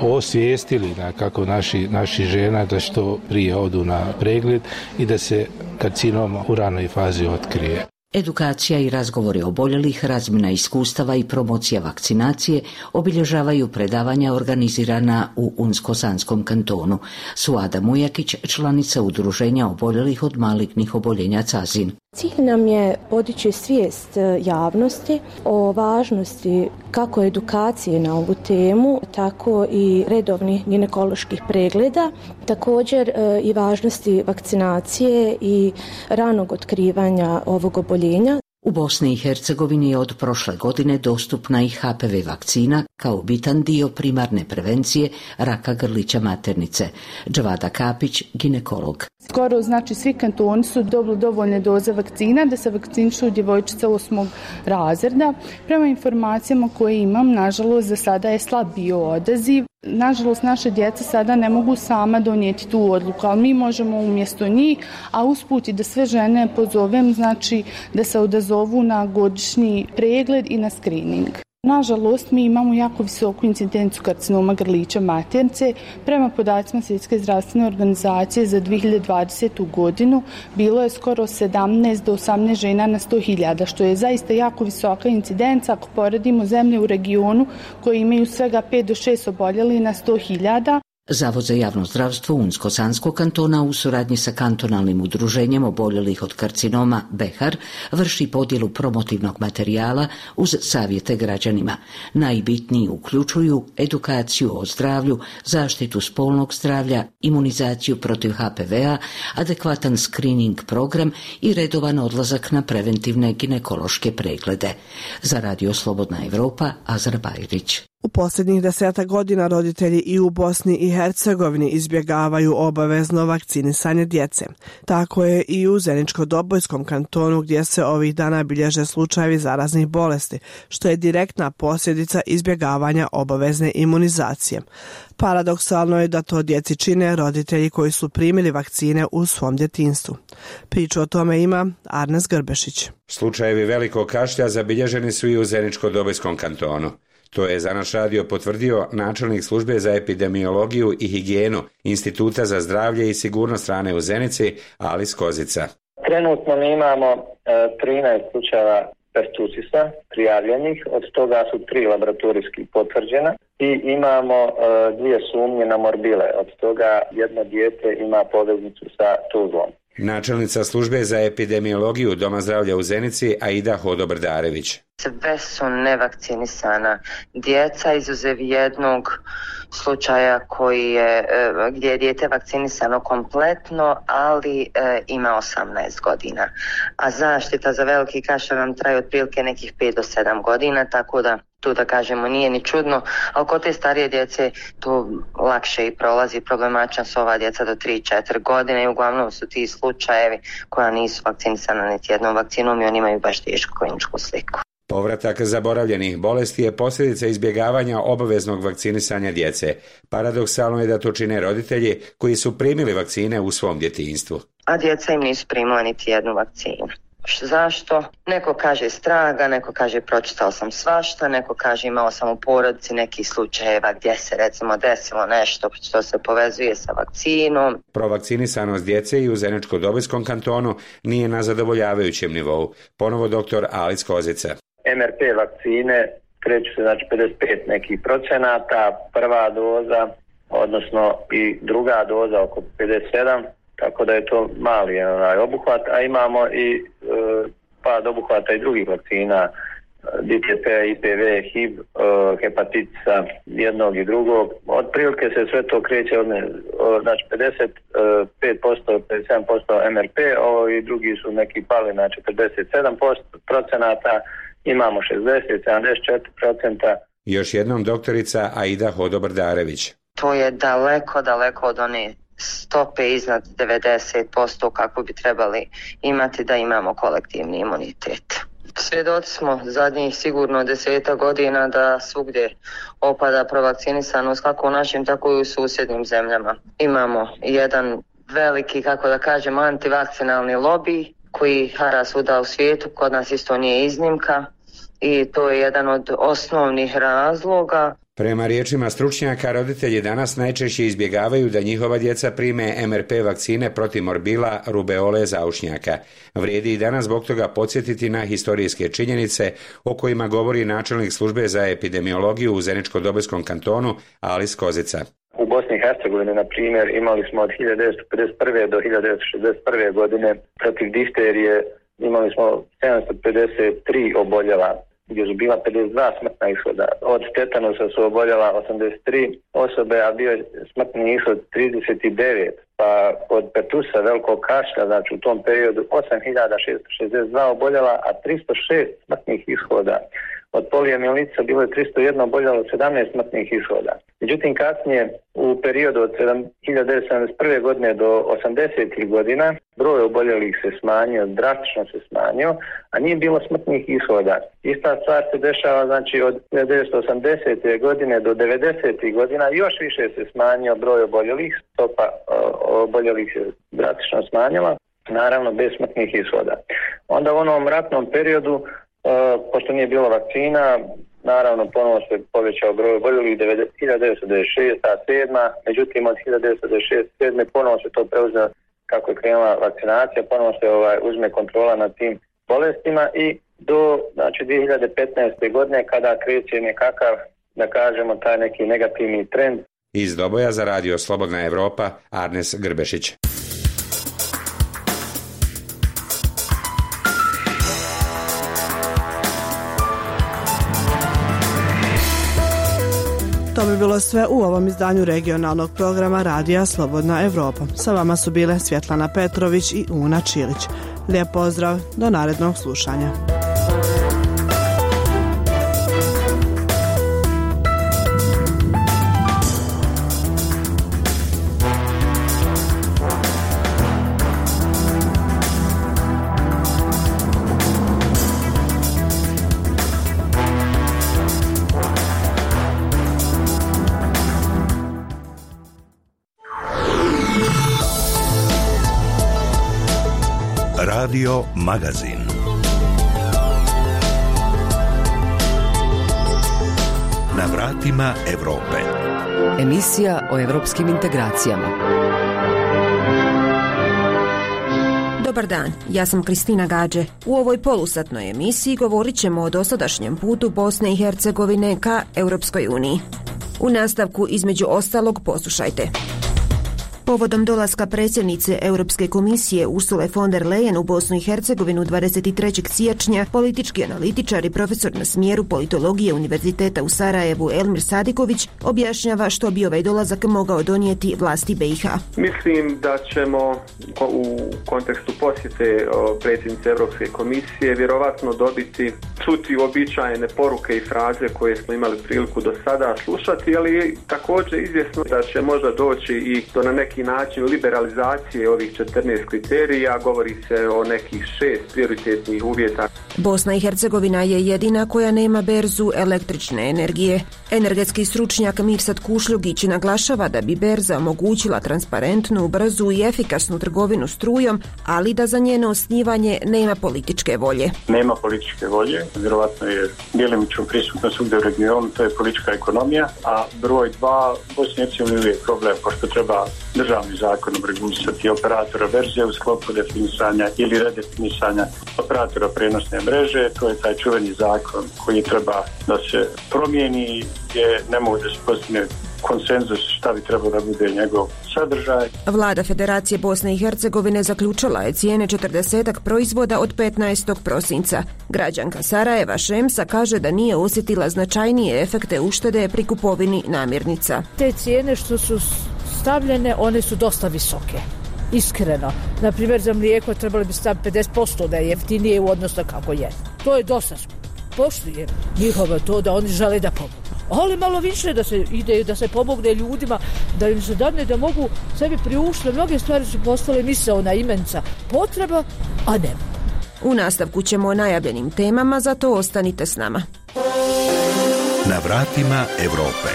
osvijestili na kako naši, naši žena da što prije odu na pregled i da se karcinom u ranoj fazi otkrije. Edukacija i razgovori oboljelih, razmjena iskustava i promocija vakcinacije obilježavaju predavanja organizirana u Unsko-Sanskom kantonu. Suada Mujakić, članica Udruženja oboljelih od malignih oboljenja Cazin. Cilj nam je podići svijest javnosti o važnosti kako edukacije na ovu temu, tako i redovnih ginekoloških pregleda, također i važnosti vakcinacije i ranog otkrivanja ovog oboljenja. U Bosni i Hercegovini je od prošle godine dostupna i H P V vakcina kao bitan dio primarne prevencije raka grlića maternice. Džavada Kapić, ginekolog. Skoro znači svi kantoni su dobili dovoljne doze vakcina da se vakcinišu djevojčice osmog razreda. Prema informacijama koje imam, nažalost za sada je slab bio odaziv. Nažalost, naše djeca sada ne mogu sama donijeti tu odluku, ali mi možemo umjesto njih, a usput i da sve žene pozovem, znači da se odazovu na godišnji pregled i na screening. Nažalost, mi imamo jako visoku incidenciju karcinoma grlića maternice. Prema podacima Svjetske zdravstvene organizacije za dvije hiljade dvadesetu godinu bilo je skoro sedamnaest do osamnaest žena na sto hiljada, što je zaista jako visoka incidenca ako poredimo zemlje u regionu koje imaju svega pet do šest oboljelih na sto hiljada. Zavod za javno zdravstvo Unsko-Sanskog kantona u suradnji sa kantonalnim udruženjem oboljelih od karcinoma Behar vrši podjelu promotivnog materijala uz savjete građanima. Najbitniji uključuju edukaciju o zdravlju, zaštitu spolnog zdravlja, imunizaciju protiv H P V-a, adekvatan screening program i redovan odlazak na preventivne ginekološke preglede. Za Radio Slobodna Evropa, Azra Bajrić. U posljednjih deseta godina roditelji i u Bosni i Hercegovini izbjegavaju obavezno vakcinisanje djece. Tako je i u Zeničko-Dobojskom kantonu gdje se ovih dana bilježe slučajevi zaraznih bolesti, što je direktna posljedica izbjegavanja obavezne imunizacije. Paradoksalno je da to djeci čine roditelji koji su primili vakcine u svom djetinjstvu. Priču o tome ima Arnes Grbešić. Slučajevi velikog kašlja zabilježeni su i u Zeničko-Dobojskom kantonu. To je za naš radio potvrdio načelnik službe za epidemiologiju i higijenu Instituta za zdravlje i sigurnost hrane u Zenici, Alis Kozica. Trenutno mi imamo e, trinaest slučajeva pertusisa prijavljenih, od toga su tri laboratorijski potvrđena i imamo e, dvije sumnje na morbile, od toga jedno dijete ima poveznicu sa Tuzlom. Načelnica službe za epidemiologiju Doma zdravlja u Zenici, Aida Hodobrdarević. Sve su nevakcinisana djeca, izuzev jednog slučaja koji je, gdje je dijete vakcinisano kompletno, ali e, ima osamnaest godina. A zaštita za veliki kašalj nam traje otprilike nekih pet do sedam godina, tako da tu da kažemo nije ni čudno, ali kod te starije djece to lakše i prolazi. Problematična su ova djeca do tri četiri godine i uglavnom su ti slučajevi koja nisu vakcinisana niti jednom vakcinom i oni imaju baš tešku kliničku sliku. Povratak zaboravljenih bolesti je posljedica izbjegavanja obaveznog vakcinisanja djece. Paradoksalno je da to čine roditelji koji su primili vakcine u svom djetinjstvu. A djeca im nisu primila niti jednu vakcinu. Zašto? Neko kaže straga, neko kaže pročitao sam svašta, neko kaže imao sam u porodici nekih slučajeva gdje se recimo desilo nešto što se povezuje sa vakcinom. Provakcinisanost djece i u Zeničko-Dobojskom kantonu nije na zadovoljavajućem nivou. Ponovo doktor Alis Kozica. M R P vakcine kreću se znači pedeset pet nekih procenata, prva doza, odnosno i druga doza oko pedeset sedam, tako da je to mali onaj obuhvat, a imamo i e, pad obuhvata i drugih vakcina, D T P, I P V, H I V, e, hepatitisa, jednog i drugog. Otprilike se sve to kreće od, znači pedeset pet posto, pedeset sedam posto M R P, ovo i drugi su neki pali na četrdeset sedam posto procenata, imamo šezdeset sedamdeset četiri procenta. Još jednom doktorica Aida Hodobrdarević. To je daleko, daleko od one stope iznad devedeset posto kako bi trebali imati da imamo kolektivni imunitet. Svjedoci smo zadnjih sigurno deseta godina da svugdje opada provakcinisanost kako u našim tako i u susjednim zemljama. Imamo jedan veliki, kako da kažem, antivakcinalni lobij koji hara svuda u svijetu, kod nas isto nije iznimka i to je jedan od osnovnih razloga. Prema riječima stručnjaka, roditelji danas najčešće izbjegavaju da njihova djeca prime M R P vakcine protiv morbila, rubeole, zaušnjaka. Vrijedi i danas zbog toga podsjetiti na historijske činjenice o kojima govori načelnik službe za epidemiologiju u Zeničko-Dobojskom kantonu Alis Kozica. U Bosni i Hercegovini, na primjer, imali smo od hiljadu devetsto pedeset prve. do hiljadu devetsto šezdeset prve. godine protiv difterije imali smo sedamsto pedeset tri oboljela, gdje su bila pedeset dva smrtna ishoda. Od tetanusa su oboljela osamdeset tri osobe, a bio je smrtni ishod trideset devet. Pa od pertusa, velikog kašlja, znači u tom periodu osam hiljada šesto šezdeset dva oboljela, a tristo šest smrtnih ishoda. Od poliomijelitica bilo je tristo jedan oboljelo, sedamnaest smrtnih ishoda. Međutim, kasnije u periodu od hiljadu devetsto sedamdeset prve. godine do osamdesetih godina broj oboljelih se smanjio, drastično se smanjio, a nije bilo smrtnih ishoda. Ista stvar se dešava znači od hiljadu devetsto osamdesete. godine do devedesetih godina, još više se smanjio broj oboljelih, stopa oboljelih se drastično smanjila, naravno bez smrtnih ishoda. Onda u onom ratnom periodu, Uh, pošto nije bilo vakcina, naravno ponovo se povećao broj oboljelih hiljadu devetsto devedeset šeste. sedma. Međutim, od hiljadu devetsto devedeset šeste. sedme. ponovo se to preuzeo kako je krenula vakcinacija, ponovo se ovaj, uzme kontrola nad tim bolestima i do znači, dvije hiljade petnaeste. godine kada kreće nekakav, da kažemo, taj neki negativni trend, Iz Doboja za radio Slobodna Evropa, Arnes Grbešić. To bi bilo sve u ovom izdanju regionalnog programa Radija Slobodna Evropa. Sa vama su bile Svjetlana Petrović i Una Čilić. Lijep pozdrav, do narednog slušanja. Radio Magazin. Na vratima Evrope. Emisija o evropskim integracijama. Dobar dan, ja sam Kristina Gađe. U ovoj polusatnoj emisiji govorit ćemo o dosadašnjem putu Bosne i Hercegovine ka Europskoj uniji. U nastavku, između ostalog, poslušajte. Povodom dolaska predsjednice Europske komisije Ursule von der Leyen u Bosnu i Hercegovinu dvadeset trećeg siječnja, politički analitičar i profesor na smjeru politologije Univerziteta u Sarajevu Elmir Sadiković objašnjava što bi ovaj dolazak mogao donijeti vlasti B i H. Mislim da ćemo u kontekstu posjete predsjednice Europske komisije vjerovatno dobiti, čuti uobičajene poruke i fraze koje smo imali priliku do sada slušati, ali također izvjesno da će možda doći i do na neki način liberalizacije ovih četrnaest kriterija, govori se o nekih šest prioritetnih uvjeta. Bosna i Hercegovina je jedina koja nema berzu električne energije. Energetski stručnjak Mirsad Kušljugić naglašava da bi berza omogućila transparentnu, brzu i efikasnu trgovinu strujom, ali da za njeno osnivanje nema političke volje. Nema političke volje, vjerovatno je djelimično prisutno svugdje u regionu, to je politička ekonomija, a broj dva, Bosna i Hercegovina je problem, pošto treba državni zakonom regulisati operatora verzije u sklopu definisanja ili redefinisanja operatora prenosne mreže. To je taj čuveni zakon koji treba da se promijeni, gdje ne mogu da se postigne konsenzus šta bi trebao da bude njegov sadržaj. Vlada Federacije Bosne i Hercegovine zaključila je cijene četrdesetak proizvoda od petnaestog prosinca. Građanka Sarajeva Šemsa kaže da nije osjetila značajnije efekte uštede pri kupovini namirnica. Te cijene što su stavljene, one su dosta visoke. Iskreno. Naprimjer, za mlijeko trebali bi staviti pedeset posto da je jeftinije u odnosu kako je. To je dosta. Poštujem njihovo to da oni žele da pomogu. Ali malo više da se ide, da se pomogne ljudima, da im se dadne da mogu sebi priuštiti. Mnoge stvari su postale misaona imenca potreba, a ne. U nastavku ćemo o najavljenim temama, zato ostanite s nama. Na vratima Evrope.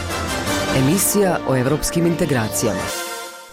Emisija o evropskim integracijama.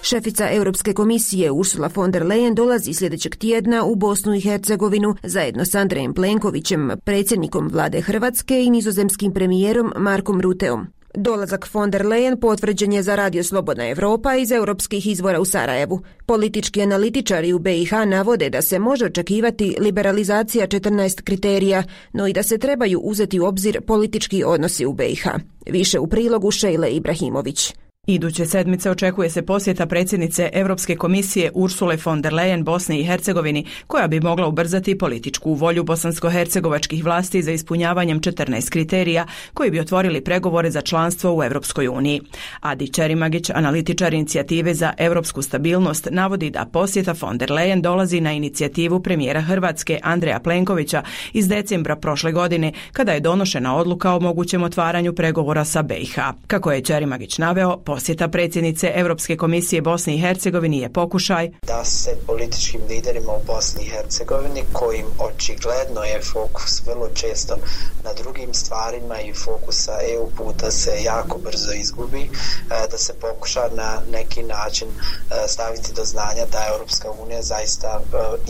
Šefica Europske komisije Ursula von der Leyen dolazi sljedećeg tjedna u Bosnu i Hercegovinu zajedno s Andrejem Plenkovićem, predsjednikom vlade Hrvatske i nizozemskim premijerom Markom Ruteom. Dolazak von der Leyen potvrđen je za radio Slobodna Evropa iz europskih izvora u Sarajevu. Politički analitičari u B i H navode da se može očekivati liberalizacija četrnaest kriterija, no i da se trebaju uzeti u obzir politički odnosi u B i H. Više u prilogu Šejle Ibrahimović. Iduće sedmice očekuje se posjeta predsjednice Europske komisije Ursule von der Leyen Bosni i Hercegovini, koja bi mogla ubrzati političku volju bosansko-hercegovačkih vlasti za ispunjavanjem četrnaest kriterija koji bi otvorili pregovore za članstvo u Europskoj uniji. Adi Čerimagić, analitičar inicijative za europsku stabilnost, navodi da posjeta von der Leyen dolazi na inicijativu premijera Hrvatske Andreja Plenkovića iz decembra prošle godine, kada je donošena odluka o mogućem otvaranju pregovora sa B i H. Kako je Čerimagić naveo, posjeta predsjednice Europske komisije Bosni i Hercegovini je pokušaj da se političkim liderima u Bosni i Hercegovini, kojim očigledno je fokus vrlo često na drugim stvarima i fokus sa E U puta se jako brzo izgubi, da se pokuša na neki način staviti do znanja da Europska unija zaista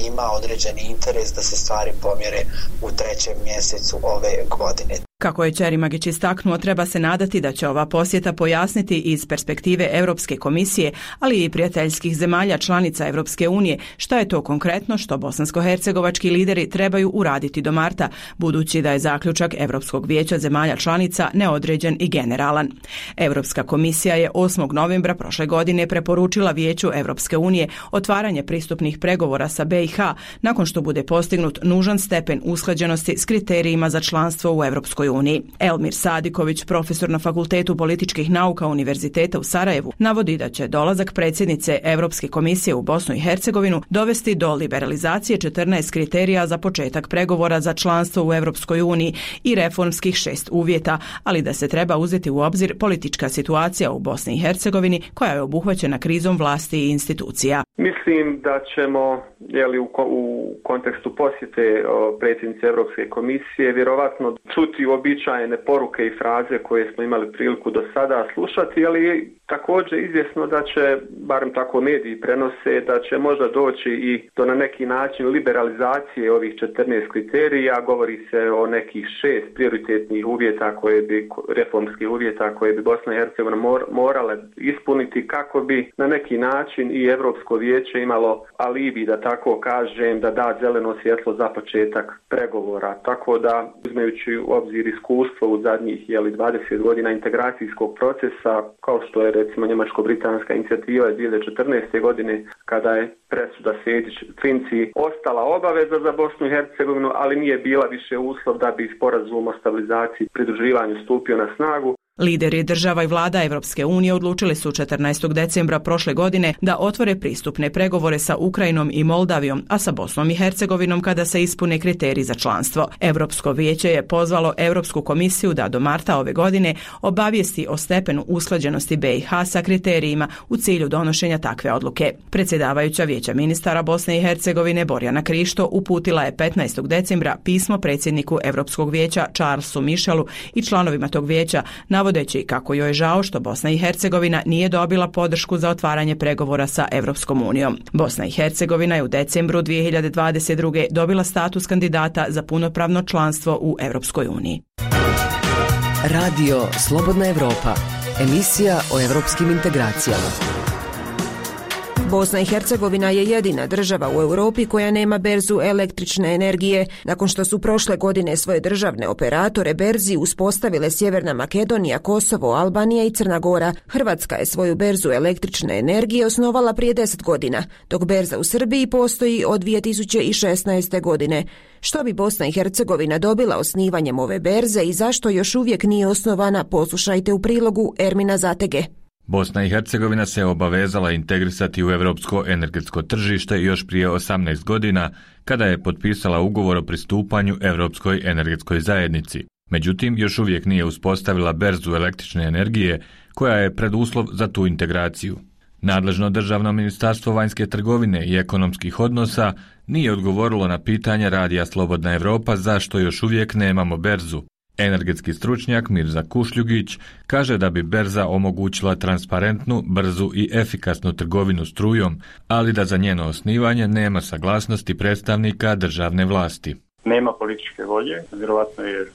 ima određeni interes da se stvari pomjere u trećem mjesecu ove godine. Kako je Čerimagić istaknuo, treba se nadati da će ova posjeta pojasniti iz perspektive Europske komisije, ali i prijateljskih zemalja članica Europske unije, šta je to konkretno što bosansko-hercegovački lideri trebaju uraditi do marta, budući da je zaključak Europskog vijeća zemalja članica neodređen i generalan. Europska komisija je osmog novembra prošle godine preporučila Vijeću Europske unije otvaranje pristupnih pregovora sa B i H nakon što bude postignut nužan stepen usklađenosti s kriterijima za članstvo u Europskoj uniji. Elmir Sadiković, profesor na Fakultetu političkih nauka Univerziteta u Sarajevu, navodi da će dolazak predsjednice Europske komisije u Bosnu i Hercegovinu dovesti do liberalizacije četrnaest kriterija za početak pregovora za članstvo u Europskoj uniji i reformskih šest uvjeta, ali da se treba uzeti u obzir politička situacija u Bosni i Hercegovini koja je obuhvaćena krizom vlasti i institucija. Mislim da ćemo, jeli, u, u kontekstu posjete o, predsjednice Europske komisije vjerovatno čuti uobičajene poruke i fraze koje smo imali priliku do sada slušati, ali također izvjesno da će, barem tako mediji prenose, da će možda doći i do na neki način liberalizacije ovih četrnaest kriterija. Govori se o nekih šest prioritetnih uvjeta koje bi, reformskih uvjeta koje bi Bosna i Hercegovina mor, morale ispuniti kako bi na neki način i Europsko vijeće imalo alibi, da tako kažem, da da zeleno svjetlo za početak pregovora. Tako da, uzmejući u obzir iskustvo u zadnjih jeli, dvadeset godina integracijskog procesa, kao što je recimo njemačko-britanska inicijativa iz dvije hiljade četrnaeste. godine, kada je presuda Sejdić-Finci ostala obaveza za Bosnu i Hercegovinu, ali nije bila više uslov da bi sporazum o stabilizaciji i pridruživanju stupio na snagu. Lideri država i vlada Europske unije odlučili su četrnaestog decembra prošle godine da otvore pristupne pregovore sa Ukrajinom i Moldavijom, a sa Bosnom i Hercegovinom kada se ispune kriteriji za članstvo. Europsko vijeće je pozvalo Europsku komisiju da do marta ove godine obavijesti o stepenu usklađenosti B i H sa kriterijima u cilju donošenja takve odluke. Predsjedavajuća Vijeća ministara Bosne i Hercegovine Borjana Krišto uputila je petnaestog decembra pismo predsjedniku Europskog vijeća Charlesu Michelu i članovima tog vijeća na navodeći kako joj je žao što Bosna i Hercegovina nije dobila podršku za otvaranje pregovora sa Europskom unijom. Bosna i Hercegovina je u decembru dvije hiljade dvadeset druge. dobila status kandidata za punopravno članstvo u Europskoj uniji. Radio Slobodna Evropa, emisija o europskim integracijama. Bosna i Hercegovina je jedina država u Europi koja nema berzu električne energije. Nakon što su prošle godine svoje državne operatore berzi uspostavile Sjeverna Makedonija, Kosovo, Albanija i Crna Gora, Hrvatska je svoju berzu električne energije osnovala prije deset godina, dok berza u Srbiji postoji od dvije tisuće šesnaeste. godine. Što bi Bosna i Hercegovina dobila osnivanjem ove berze i zašto još uvijek nije osnovana, poslušajte u prilogu Ermina Zatege. Bosna i Hercegovina se obavezala integrisati u europsko energetsko tržište još prije osamnaest godina, kada je potpisala ugovor o pristupanju Europskoj energetskoj zajednici. Međutim, još uvijek nije uspostavila berzu električne energije, koja je preduslov za tu integraciju. Nadležno državno ministarstvo vanjske trgovine i ekonomskih odnosa nije odgovorilo na pitanje Radija Slobodna Evropa zašto još uvijek nemamo berzu. Energetski stručnjak Mirza Kušljugić kaže da bi berza omogućila transparentnu, brzu i efikasnu trgovinu strujom, ali da za njeno osnivanje nema saglasnosti predstavnika državne vlasti. Nema političke volje, vjerovatno je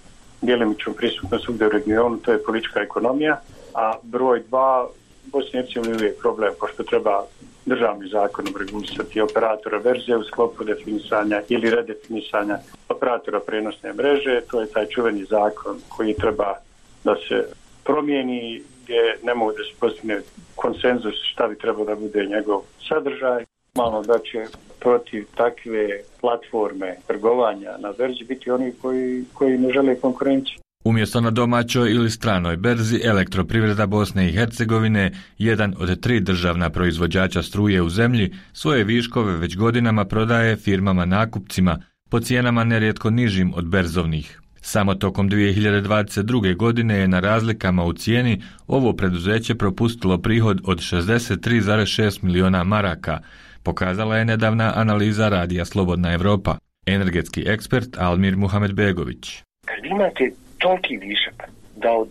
djelimično prisutna svugdje u regionu, to je politička ekonomija, a broj dva, Bosni i Hercegovini je uvijek problem, pošto treba državni zakonom regulisati operatora berze u sklopu definisanja ili redefinisanja operatora prenosne mreže. To je taj čuveni zakon koji treba da se promijeni, gdje ne mogu da se postigne konsenzus šta bi trebalo da bude njegov sadržaj. Malo da će protiv takve platforme trgovanja na berzi biti oni koji, koji ne žele konkurenciju. Umjesto na domaćoj ili stranoj berzi, Elektroprivreda Bosne i Hercegovine, jedan od tri državna proizvođača struje u zemlji, svoje viškove već godinama prodaje firmama nakupcima po cijenama nerijetko nižim od berzovnih. Samo tokom dvije hiljade dvadeset druge. godine je na razlikama u cijeni ovo preduzeće propustilo prihod od šezdeset tri zarez šest miliona maraka, pokazala je nedavna analiza Radija Slobodna Evropa. Energetski ekspert Almir Muhamedbegović. Kad imate toliki višak da od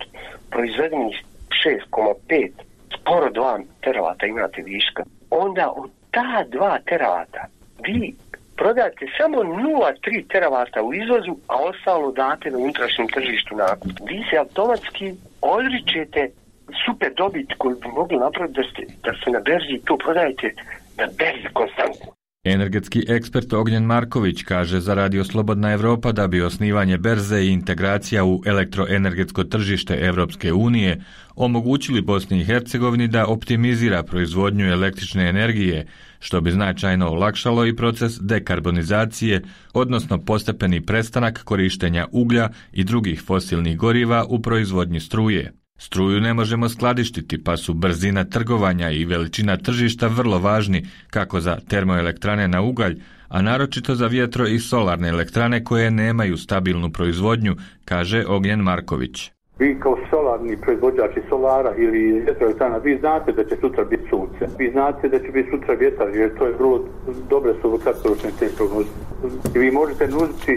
proizvedenih šest zarez pet skoro dva teravata imate viška, onda od ta dva teravata vi prodate samo nula zarez tri teravata u izvozu, a ostalo date na unutrašnjem tržištu nakup. Vi se automatski odričete super dobit koju bi mogli napraviti da, ste, da se na berzi to prodajete na berzi konstantno. Energetski ekspert Ognjen Marković kaže za Radio Slobodna Evropa da bi osnivanje berze i integracija u elektroenergetsko tržište Evropske unije omogućili Bosni i Hercegovini da optimizira proizvodnju električne energije, što bi značajno olakšalo i proces dekarbonizacije, odnosno postepeni prestanak korištenja uglja i drugih fosilnih goriva u proizvodnji struje. Struju ne možemo skladištiti, pa su brzina trgovanja i veličina tržišta vrlo važni kako za termoelektrane na ugalj, a naročito za vjetro i solarne elektrane koje nemaju stabilnu proizvodnju, kaže Ognjen Marković. Vi kao solarni proizvođači solara ili vjetroelektrana, vi znate da će sutra biti sunce. Vi znate da će biti sutra vjetar, jer to je vrlo dobre su kratkoročne te prognoze. I vi možete nuditi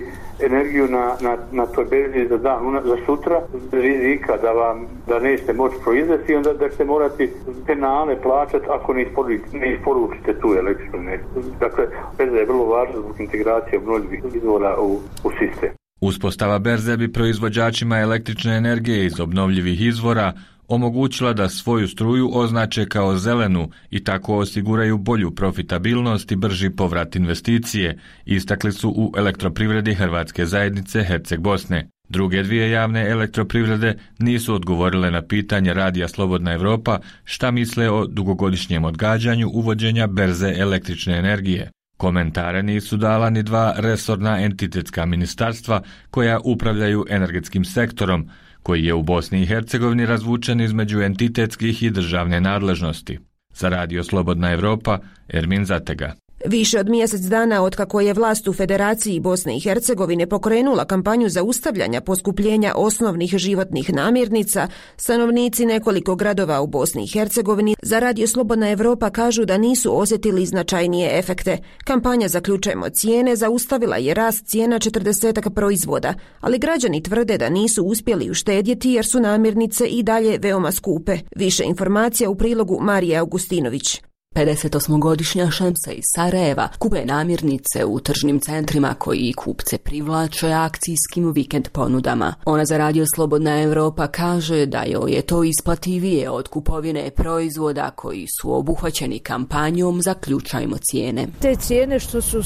energiju na, na, na toj berzi za dan, za sutra, rizika da vam da nećete moći proizvesti i onda da ćete morati penale plaćati ako ne isporučite, ne isporučite tu električnu energiju. Dakle, berza je vrlo važna zbog integracije obnovljivih izvora u, u sistem. Uspostava berze bi proizvođačima električne energije iz obnovljivih izvora omogućila da svoju struju označe kao zelenu i tako osiguraju bolju profitabilnost i brži povrat investicije, istakli su u elektroprivredi Hrvatske zajednice Herceg Bosne. Druge dvije javne elektroprivrede nisu odgovorile na pitanje Radija Slobodna Evropa šta misle o dugogodišnjem odgađanju uvođenja berze električne energije. Komentare nisu dala ni dva resorna entitetska ministarstva koja upravljaju energetskim sektorom, koji je u Bosni i Hercegovini razvučen između entitetskih i državne nadležnosti. Za Radio Slobodna Evropa, Ermin Zatega. Više od mjesec dana otkako je vlast u Federaciji Bosne i Hercegovine pokrenula kampanju zaustavljanja poskupljenja osnovnih životnih namirnica, stanovnici nekoliko gradova u Bosni i Hercegovini za Radio Slobodna Evropa kažu da nisu osjetili značajnije efekte. Kampanja Zaključajmo cijene zaustavila je rast cijena četrdesetak proizvoda, ali građani tvrde da nisu uspjeli uštedjeti jer su namirnice i dalje veoma skupe. Više informacija u prilogu Marije Augustinović. pedesetosmogodišnja Šemsa iz Sarajeva kupuje namirnice u tržnim centrima koji kupce privlače akcijskim vikend ponudama. Ona za Radio Slobodna Evropa kaže da joj je to isplativije od kupovine proizvoda koji su obuhvaćeni kampanjom Zaključajmo cijene. Te cijene što su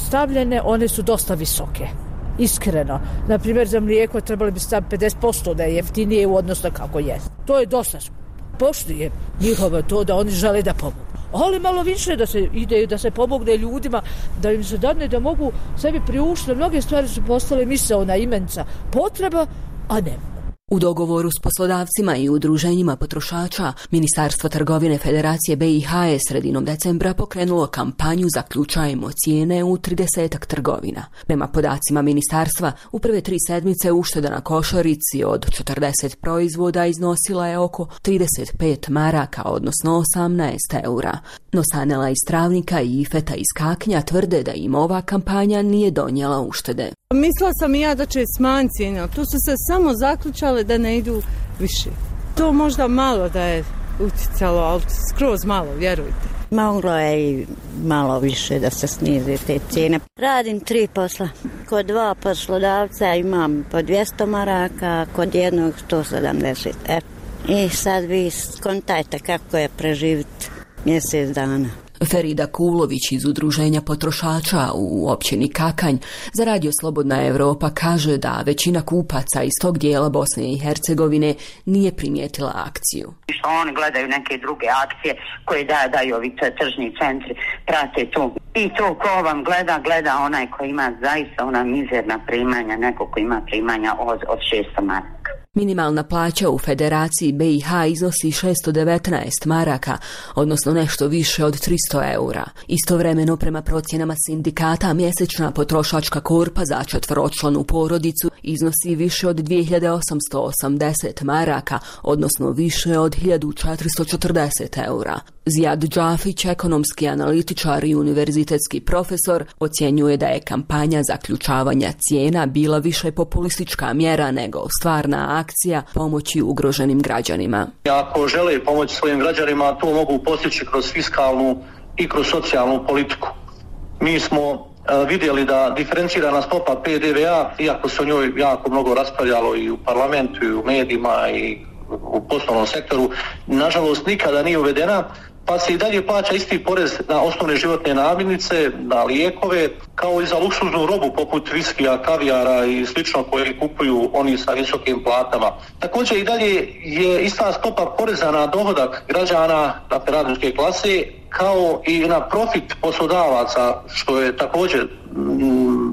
stavljene, one su dosta visoke. Iskreno. Na primjer, za mlijeko trebali bi staviti pedeset posto da je jeftinije u odnosu kako je. To je dosta. Poštujem njihovo to da oni žele da pomogu. Ali malo više da se ide, da se pomogne ljudima, da im se dadne da mogu sebi priuštiti. Mnoge stvari su postale misaona imenca potreba, a ne. U dogovoru s poslodavcima i udruženjima potrošača, Ministarstvo trgovine Federacije B i H je sredinom decembra pokrenulo kampanju Zaključajmo cijene u tridesetak trgovina. Prema podacima ministarstva, u prve tri sedmice ušteda na košarici od četrdeset proizvoda iznosila je oko trideset pet maraka, odnosno osamnaest eura. No Sanela iz Travnika i Ifeta iz Kaknja tvrde da im ova kampanja nije donijela uštede. Mislila sam i ja da će smanjiti cijene, ali tu su se samo zaključale da ne idu više. To možda malo da je uticalo, ali skroz malo, vjerujte. Moglo je i malo više da se snize te cijene. Radim tri posla. Kod dva poslodavca imam po dvjesto maraka, kod jednog sto sedamdeset. E, i sad vi skontajte kako je preživiti mjesec dana. Ferida Kulović iz Udruženja potrošača u općini Kakanj za Radio Slobodna Evropa kaže da većina kupaca iz tog dijela Bosne i Hercegovine nije primijetila akciju. Što oni gledaju neke druge akcije koje da, daju ovi tržni centri, prate to. I to ko vam gleda, gleda onaj koji ima zaista ona mizerna primanja, neko ko ima primanja od, od šesto maraka. Minimalna plaća u Federaciji B i H iznosi šesto devetnaest maraka, odnosno nešto više od tristo eura. Istovremeno, prema procjenama sindikata, mjesečna potrošačka korpa za četvoročlanu porodicu iznosi više od dvije hiljade osamsto osamdeset maraka, odnosno više od hiljadu četiristo četrdeset eura. Zijad Džafić, ekonomski analitičar i univerzitetski profesor, ocjenjuje da je kampanja zaključavanja cijena bila više populistička mjera nego stvarna akcija pomoći ugroženim građanima. Ako žele pomoći svojim građanima, to mogu postići kroz fiskalnu i kroz socijalnu politiku. Mi smo vidjeli da diferencirana stopa P D V A, iako se o njoj jako mnogo raspravljalo i u parlamentu i u medijima i u poslovnom sektoru, nažalost nikada nije uvedena, pa se i dalje plaća isti porez na osnovne životne namirnice, na lijekove, kao i za luksuznu robu poput viskija, kavijara i slično koje kupuju oni sa visokim platama. Također i dalje je ista stopa poreza na dohodak građana, dakle radničke klase, kao i na profit poslodavaca, što je također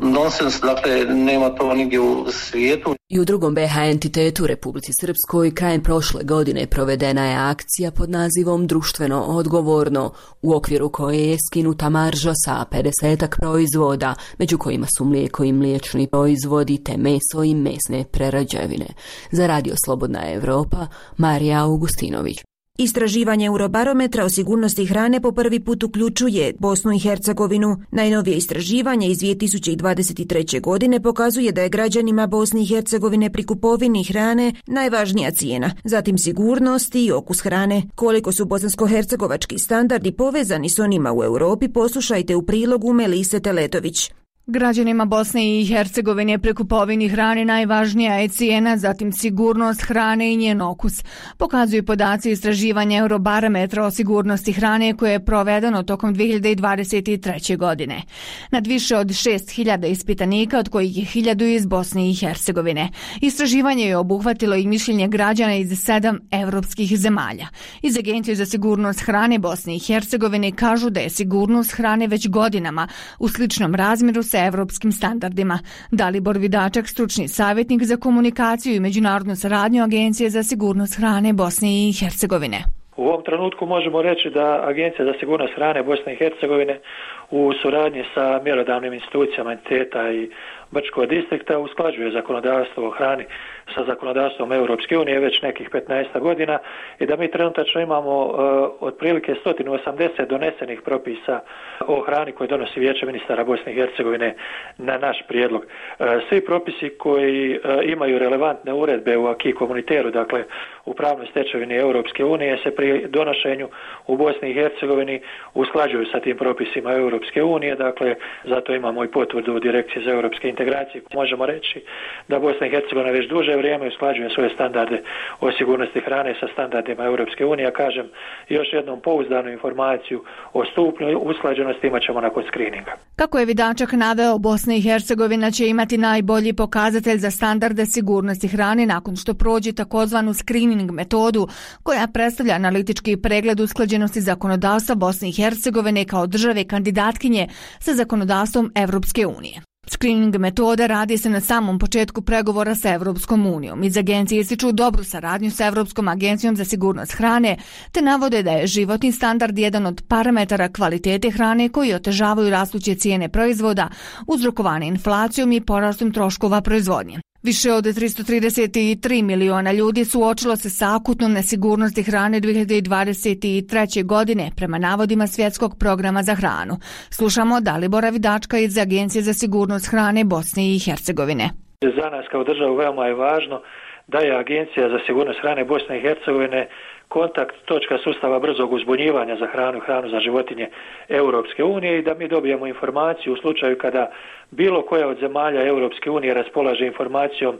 nonsens, dakle nema to nigdje u svijetu. I u drugom B H entitetu u Republici Srpskoj krajem prošle godine provedena je akcija pod nazivom Društveno odgovorno, u okviru koje je skinuta marža sa pedesetak proizvoda, među kojima su mlijeko i mliječni proizvodi te meso i mesne prerađevine. Za Radio Slobodna Evropa, Marija Augustinović. Istraživanje Eurobarometra o sigurnosti hrane po prvi put uključuje Bosnu i Hercegovinu. Najnovije istraživanje iz dvije tisuće dvadeset treće. godine pokazuje da je građanima Bosne i Hercegovine pri kupovini hrane najvažnija cijena, zatim sigurnost i okus hrane. Koliko su bosansko-hercegovački standardi povezani s onima u Europi, poslušajte u prilogu Melise Teletović. Građanima Bosne i Hercegovine pri kupovini hrane najvažnija je cijena, zatim sigurnost hrane i njen okus. Pokazuju podaci istraživanja Eurobarometra o sigurnosti hrane koje je provedeno tokom dvije hiljade dvadeset treće. godine. Nad više od šest hiljada ispitanika, od kojih je hiljadu iz Bosne i Hercegovine. Istraživanje je obuhvatilo i mišljenje građana iz sedam evropskih zemalja. Iz Agencije za sigurnost hrane Bosne i Hercegovine kažu da je sigurnost hrane već godinama u sličnom razmjeru sa evropskim standardima. Dalibor Vidačak, stručni savjetnik za komunikaciju i međunarodnu saradnju Agencije za sigurnost hrane Bosne i Hercegovine. U ovom trenutku možemo reći da Agencija za sigurnost hrane Bosne i Hercegovine u suradnji sa mjerodavnim institucijama entiteta i Brčkog distrikta usklađuje zakonodavstvo o hrani sa zakonodavstvom Europske unije već nekih petnaest godina i da mi trenutačno imamo uh, otprilike sto osamdeset donesenih propisa o hrani koje donosi Vijeće ministara Bosne i Hercegovine na naš prijedlog. Uh, svi propisi koji uh, imaju relevantne uredbe u acquis communautaire, dakle u pravnoj stečevini Europske unije, se pri donošenju u Bosni i Hercegovini usklađuju sa tim propisima Europske unije, dakle zato imamo i potvrdu Direkcije za europske integracije. Možemo reći da Bosna i Hercegovina već duže vrijeme usklađuje svoje standarde o sigurnosti hrane sa standardima Europske unije. Ja kažem još jednom pouzdanu informaciju o stupnju usklađenosti imat ćemo nakon skrininga. Kako je Vidačak naveo, Bosna i Hercegovina će imati najbolji pokazatelj za standarde sigurnosti hrane nakon što prođe takozvanu screening metodu koja predstavlja analitički pregled usklađenosti zakonodavstva Bosne i Hercegovine kao države kandidatkinje sa zakonodavstvom Europske unije. Screening metoda radi se na samom početku pregovora sa Evropskom unijom. Iz agencije ističu dobru saradnju sa Evropskom agencijom za sigurnost hrane, te navode da je životni standard jedan od parametara kvalitete hrane koji otežavaju rastuće cijene proizvoda, uzrokovane inflacijom i porastom troškova proizvodnje. Više od tristo trideset tri miliona ljudi suočilo se sa akutnom nesigurnosti hrane dvije hiljade dvadeset treće. godine prema navodima Svjetskog programa za hranu. Slušamo Dalibora Vidačka iz Agencije za sigurnost hrane Bosne i Hercegovine. Za nas kao državu veoma je važno da je Agencija za sigurnost hrane Bosne i Hercegovine kontakt točka sustava brzog uzbunjivanja za hranu i hranu za životinje Europske unije i da mi dobijemo informaciju u slučaju kada bilo koja od zemalja Europske unije raspolaže informacijom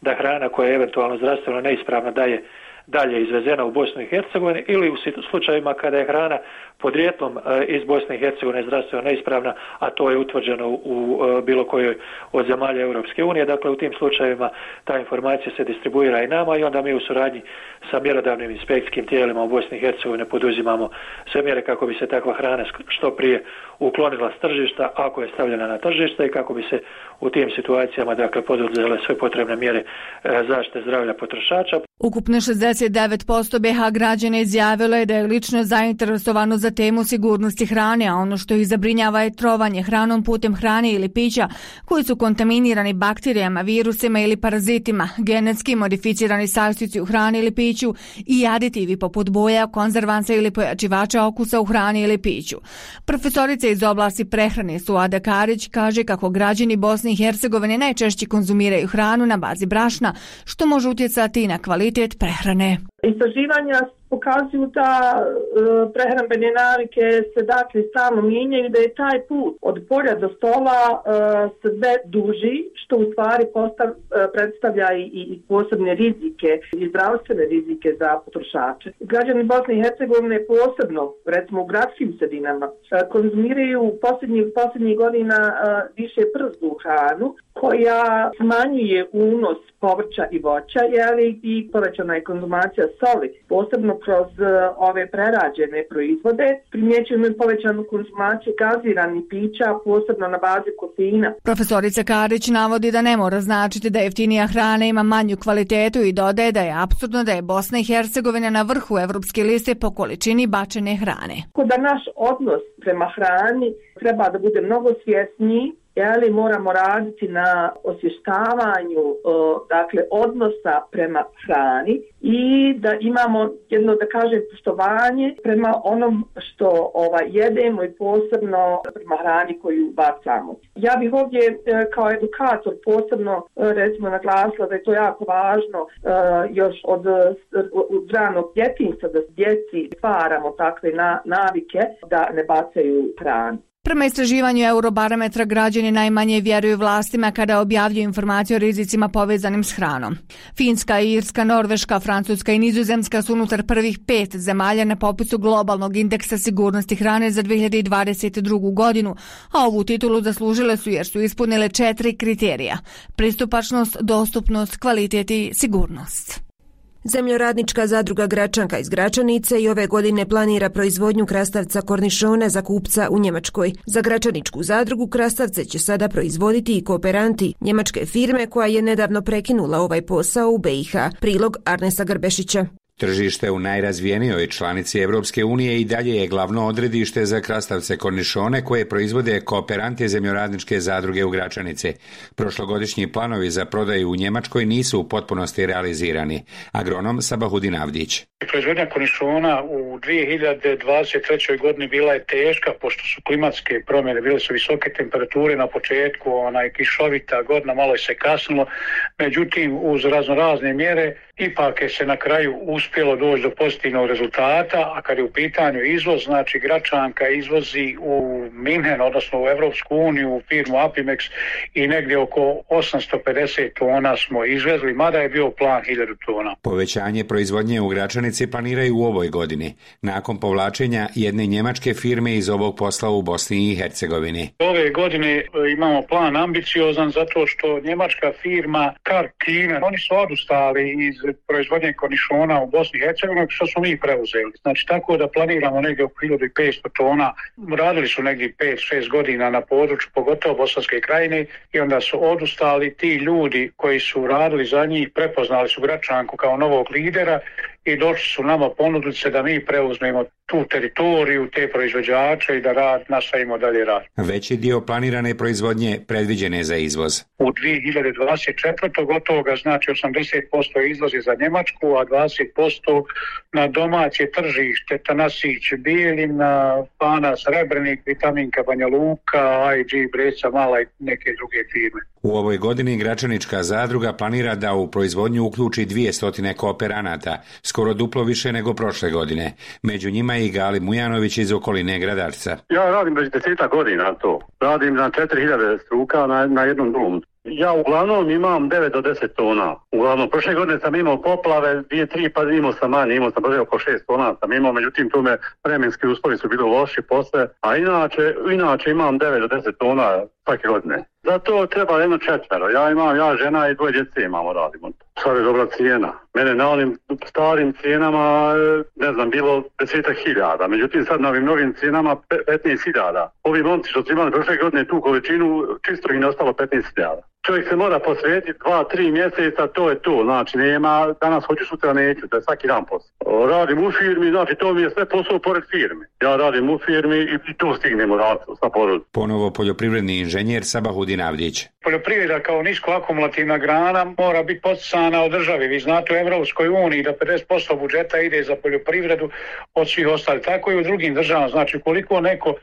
da hrana koja je eventualno zdravstveno neispravna da je dalje izvezena u Bosnu i Hercegovinu ili u slučajevima kada je hrana podrijetlom iz Bosne i Hercegovine zdravstveno neispravna, a to je utvrđeno u bilo kojoj od zemalja Europske unije. Dakle, u tim slučajevima ta informacija se distribuira i nama i onda mi u suradnji sa mjerodavnim inspekcijskim tijelima u Bosni i Hercegovine poduzimamo sve mjere kako bi se takva hrana što prije uklonila s tržišta ako je stavljena na tržište i kako bi se u tim situacijama dakle poduzele sve potrebne mjere zaštite zdravlja potrošača. Ukupno šezdeset devet posto B H građana izjavilo je da je lično zainteresovano za temu sigurnosti hrane, a ono što ih zabrinjava je trovanje hranom putem hrane ili pića koji su kontaminirani bakterijama, virusima ili parazitima, genetski modificirani sastojci u hrani ili piću i aditivi poput boja, konzervansa ili pojačivača okusa u hrani ili piću. Profesorica iz oblasti prehrane Suada Karić kaže kako građani Bosne i Hercegovine najčešće konzumiraju hranu na bazi brašna, što može utjecati na kvalitet prehrane. Istraživanja pokazuju da e, prehrambene navike se dakle stalno mijenjaju, da je taj put od polja do stola e, sve duži, što u stvari postav, e, predstavlja i, i posebne rizike i zdravstvene rizike za potrošače. Građani Bosne i Hercegovine posebno, recimo u gradskim sredinama, e, konzumiraju posljednjih, posljednjih godina e, više przdu hranu, koja smanjuje unos povrća i voća, jeli, i povećana je konzumacija soli, posebno kroz uh, ove prerađene proizvode. Primjećujemo i povećanu konzumaciju gaziranih pića, posebno na bazi kofeina. Profesorica Karić navodi da ne mora značiti da jeftinija hrana ima manju kvalitetu i dodaje da je apsurdno da je Bosna i Hercegovina na vrhu evropske liste po količini bačene hrane. Da naš odnos prema hrani treba da bude mnogo svjesniji, ali moramo raditi na osvještavanju dakle odnosa prema hrani i da imamo jedno, da kažem, poštovanje prema onom što ovaj, jedemo i posebno prema hrani koju bacamo. Ja bih ovdje kao edukator posebno recimo naglasila da je to jako važno još od, od ranog djetinjstva, da djeci stvaramo takve na, navike da ne bacaju hranu. Prema istraživanju Eurobarometra građani najmanje vjeruju vlastima kada objavljuju informacije o rizicima povezanim s hranom. Finska, Irska, Norveška, Francuska i Nizozemska su unutar prvih pet zemalja na popisu globalnog indeksa sigurnosti hrane za dve hiljade dvadeset drugu. godinu, a ovu titulu zaslužile su jer su ispunile četiri kriterija: pristupačnost, dostupnost, kvalitet i sigurnost. Zemljoradnička zadruga Gračanka iz Gračanice i ove godine planira proizvodnju krastavca kornišona za kupca u Njemačkoj. Za Gračaničku zadrugu krastavce će sada proizvoditi i kooperanti njemačke firme koja je nedavno prekinula ovaj posao u B i H. Prilog Arnesa Grbešića. Tržište u najrazvijenijoj članici Evropske unije i dalje je glavno odredište za krastavce kornišone koje proizvode kooperanti zemljoradničke zadruge u Gračanici. Prošlogodišnji planovi za prodaju u Njemačkoj nisu u potpunosti realizirani. Agronom Sabahudin Avdić. Proizvodnja kornišona u dvije hiljade dvadeset trećoj. godini bila je teška pošto su klimatske promjene, bile su visoke temperature na početku, onaj kišovita godina, malo je se kasnilo. Međutim, uz raznorazne mjere ipak je se na kraju uspjelo doći do pozitivnog rezultata, a kad je u pitanju izvoz, znači Gračanka izvozi u Minhen, odnosno u Evropsku uniju, u firmu Apimex i negdje oko osamsto pedeset tona smo izvezli, mada je bio plan hiljadu tona. Povećanje proizvodnje u Gračanici planiraju u ovoj godini, nakon povlačenja jedne njemačke firme iz ovog posla u Bosni i Hercegovini. Ove godine imamo plan ambiciozan zato što njemačka firma Karkina, oni su odustali iz proizvodnje kornišona u Bosni i Hercegovini, što smo mi preuzeli. Znači tako da planiramo negdje oko hiljadu petsto tona. Radili su negdje pet šest godina na području, pogotovo Bosanske krajine, i onda su odustali. Ti ljudi koji su radili za njih prepoznali su Gračanku kao novog lidera i došli su nama ponudili se da mi preuzmemo tu teritoriju, te proizvođače i da rad, nastavimo dalje rad. Veći dio planirane proizvodnje predviđen je za izvoz. U dvije hiljade dvadeset četvrtoj. gotovo ga znači osamdeset posto izvozi za Njemačku, a dvadeset posto na domaće tržište, Tanasić, Bijeljina, Pana, Srebrenik, Vitaminka, Banja Luka, I G, Breca, Mala i neke druge firme. U ovoj godini Gračanička zadruga planira da u proizvodnju uključi dvjesto kooperanata, skoro duplo više nego prošle godine. Među njima je i Gali Mujanović iz okoline Gradarca. Ja radim već desetak godina to. Radim na četiri hiljade struka na, na jednom domu. Ja uglavnom imam devet do deset tona. Uglavnom, prošle godine sam imao poplave, dvije, tri, pa imao sam manje, imao sam brže oko šest tona sam imao, međutim tu me vremenski uslovi su bili loši posle, a inače, inače imam devet do deset tona svake godine. Zato treba jedno četvero. Ja imam, ja žena i dvoje djece imamo, radimo. Sad je dobra cijena. Mene na onim starim cijenama, ne znam, bilo desetak hiljada. Međutim, sad na ovim novim cijenama petnaest hiljada. Ovi momci što su imali prošle godine tu količinu, čisto im je ostalo petnaest hiljada. Čovjek se mora posvetiti dva, tri mjeseca, to je to. Znači, nema, danas hoću, sutra neću, to je svaki dan posao. Radim u firmi, znači to mi je sve posao pored firme. Ja radim u firmi i to stignemo raditi sa porodom. Ponovo poljoprivredni inženjer Sabahudin Avdić. Poljoprivreda kao nisko akumulativna grana mora biti poticana od države. Vi znate u Evropskoj uniji da pedeset posto budžeta ide za poljoprivredu od svih ostalih. Tako i u drugim državama. Znači, koliko neko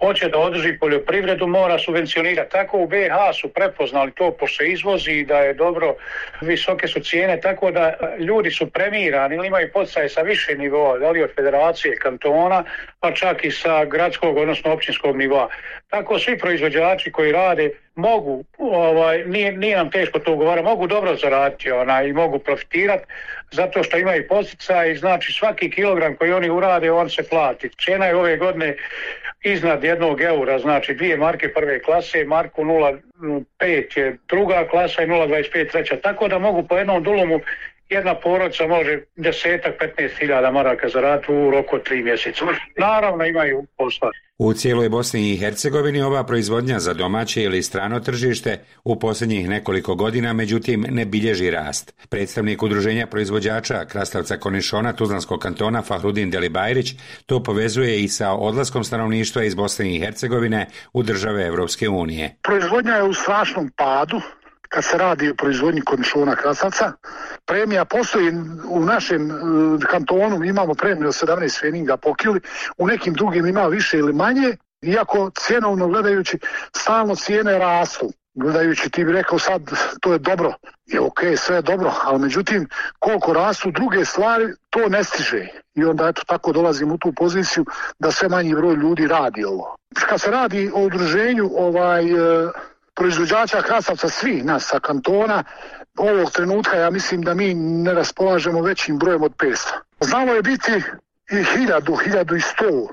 hoće da održi poljoprivredu, mora subvencionirati. Tako u B H su prepoznali to, pošto se izvozi i da je dobro, visoke su cijene, tako da ljudi su premirani ili imaju poticaje sa više nivoa, da li od federacije, kantona, pa čak i sa gradskog, odnosno općinskog nivoa. Tako svi proizvođači koji rade mogu, ovaj, nije, nije nam teško to ugovara, mogu dobro zaraditi ona, i mogu profitirati zato što imaju poticaj i znači svaki kilogram koji oni urade, on se plati. Cijena je ove godine iznad jednog eura, znači dvije marke prve klase, marku nula pet je druga klasa i nula dvadeset pet treća, tako da mogu po jednom dulumu jedna porodica može desetak, petnaest hiljada maraka zaraditi u roku od tri mjeseca. Naravno imaju posla. U cijeloj Bosni i Hercegovini ova proizvodnja za domaće ili strano tržište u posljednjih nekoliko godina međutim ne bilježi rast. Predstavnik udruženja proizvođača krastavca Kornišona Tuzlanskog kantona Fahrudin Delibajrić to povezuje i sa odlaskom stanovništva iz Bosne i Hercegovine u države Evropske unije. Proizvodnja je u strašnom padu. Kad se radi o proizvodnji kornišona krastavca, premija postoji u našem kantonu, imamo premiju od sedamnaest feninga po kili, u nekim drugim ima više ili manje, iako cjenovno gledajući stalno cijene rastu. Gledajući ti bi rekao sad to je dobro, je ok, sve je dobro, ali međutim koliko rastu druge stvari to ne stiže. I onda eto tako dolazim u tu poziciju da sve manji broj ljudi radi ovo. Kad se radi o udruženju ovaj... proizvođača krastavca svih nas sa kantona, ovog trenutka ja mislim da mi ne raspolažemo većim brojem od petsto. Znalo je biti i hiljadu, hiljadu i sto.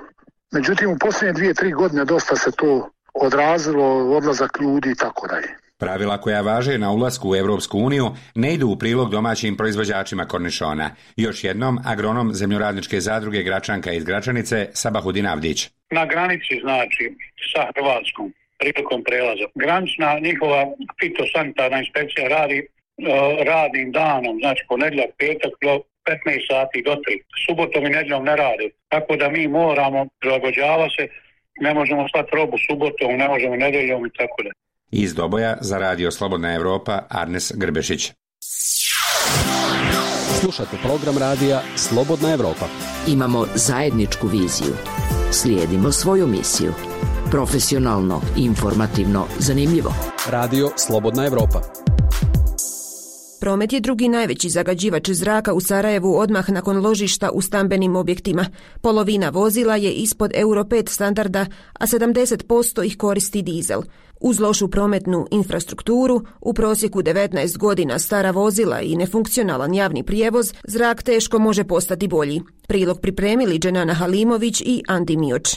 Međutim, u posljednje dvije, tri godine dosta se to odrazilo, odlazak ljudi i tako dalje. Pravila koja važe na ulasku u Evropsku uniju ne idu u prilog domaćim proizvođačima kornišona. Još jednom, agronom zemljoradničke zadruge Gračanka iz Gračanice Sabahudin Avdić. Na granici znači sa Hrvatskom prilikom prelaza. Granična njihova fitosanitarna inspekcija radi uh, radnim danom, znači ponedjeljak, petak do petnaest sati do tri. Subotom i nedjeljom ne rade. Tako da mi moramo prilagođava se, ne možemo slati robu subotom, ne možemo nedjeljom i tako da. Iz Doboja za Radio Slobodna Evropa Arnes Grbešić. Slušate program radija Slobodna Evropa. Imamo zajedničku viziju. Slijedimo svoju misiju. Profesionalno, informativno, zanimljivo. Radio Slobodna Evropa. Promet je drugi najveći zagađivač zraka u Sarajevu odmah nakon ložišta u stambenim objektima. Polovina vozila je ispod Euro pet standarda, a sedamdeset posto ih koristi dizel. Uz lošu prometnu infrastrukturu, u prosjeku devetnaest godina stara vozila i nefunkcionalan javni prijevoz, zrak teško može postati bolji. Prilog pripremili Dženana Halimović i Andi Mioč.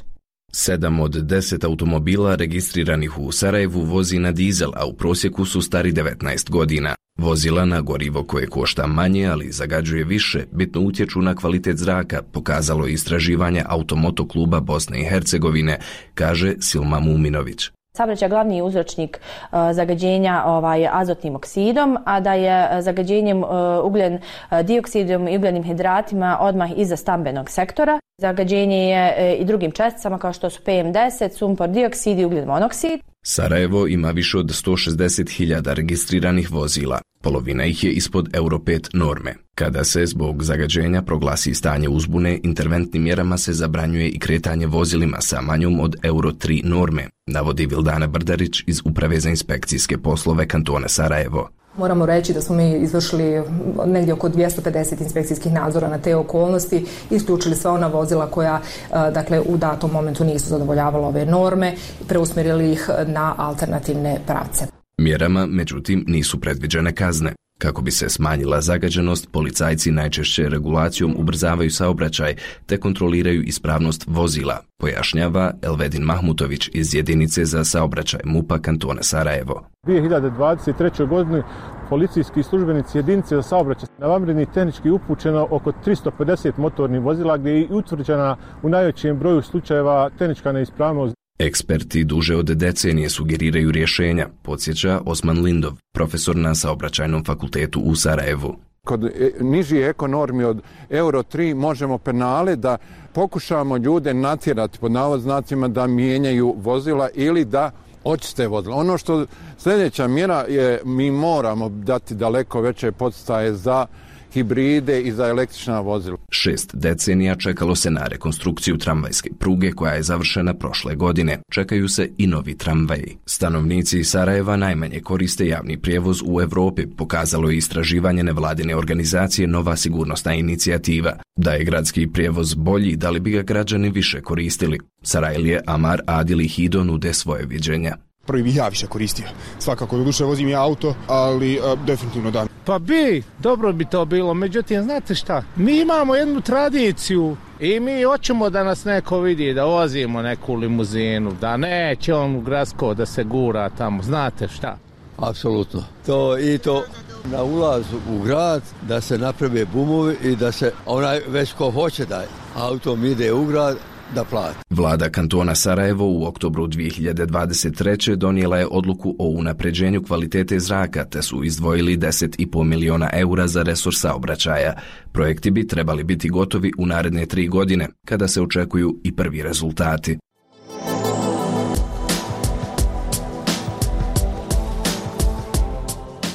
Sedam od deset automobila registriranih u Sarajevu vozi na dizel, a u prosjeku su stari devetnaest godina. Vozila na gorivo koje košta manje, ali zagađuje više, bitno utječu na kvalitet zraka, pokazalo je istraživanje Automoto kluba Bosne i Hercegovine, kaže Silma Muminović. Saobraćaj je glavni uzročnik uh, zagađenja ovaj, azotnim oksidom, a da je zagađenjem uh, ugljen uh, dioksidom i ugljenim hidratima odmah iza stambenog sektora. Zagađenje je uh, i drugim česticama kao što su P M deset, sumpor dioksid i ugljen monoksid. Sarajevo ima više od sto šezdeset hiljada registriranih vozila. Polovina ih je ispod Euro pet norme. Kada se zbog zagađenja proglasi stanje uzbune, interventnim mjerama se zabranjuje i kretanje vozilima sa manjom od Euro tri norme, navodi Vildana Brdarić iz Uprave za inspekcijske poslove kantona Sarajevo. Moramo reći da smo mi izvršili negdje oko dvjesto pedeset inspekcijskih nadzora na te okolnosti, isključili sva ona vozila koja dakle, u datom momentu nisu zadovoljavala ove norme, preusmjerili ih na alternativne pravce. Mjerama, međutim, nisu predviđene kazne. Kako bi se smanjila zagađenost, policajci najčešće regulacijom ubrzavaju saobraćaj te kontroliraju ispravnost vozila, pojašnjava Elvedin Mahmutović iz jedinice za saobraćaj MUP-a kantona Sarajevo. U dvije hiljade dvadeset trećoj. godini policijski službenici jedinice za saobraćaj na vanredni tehnički upućeno oko tristo pedeset motornih vozila gdje je utvrđena u najvećem broju slučajeva tehnička neispravnost. Eksperti duže od decenije sugeriraju rješenja, podsjeća Osman Lindov, profesor na saobraćajnom fakultetu u Sarajevu. Kod nižih ekonormi od Euro tri možemo penale da pokušamo ljude natjerati pod navodnicima da mijenjaju vozila ili da očiste vozila. Ono što sljedeća mjera je, mi moramo dati daleko veće podstaje za hibride i za električna vozila. Šest decenija čekalo se na rekonstrukciju tramvajske pruge koja je završena prošle godine. Čekaju se i novi tramvaji. Stanovnici Sarajeva najmanje koriste javni prijevoz u Europi, pokazalo je istraživanje nevladine organizacije Nova sigurnosna inicijativa. Da je gradski prijevoz bolji, da li bi ga građani više koristili? Sarajlije, Amar, Adil i Hido nude svoje viđenja. Prvi bih ja više koristio. Svakako, do duše vozim ja auto, ali a, definitivno da. Pa bi, dobro bi to bilo, međutim, znate šta, mi imamo jednu tradiciju i mi hoćemo da nas neko vidi, da vozimo neku limuzinu, da neće on u gradsko da se gura tamo, znate šta. Apsolutno. To i to na ulazu u grad, da se naprave bumovi i da se onaj već ko hoće da autom ide u grad, da plati. Vlada kantona Sarajevo u oktobru dvije hiljade dvadeset treće donijela je odluku o unapređenju kvalitete zraka, te su izdvojili deset i pol miliona eura za resurs saobraćaja. Projekti bi trebali biti gotovi u naredne tri godine, kada se očekuju i prvi rezultati.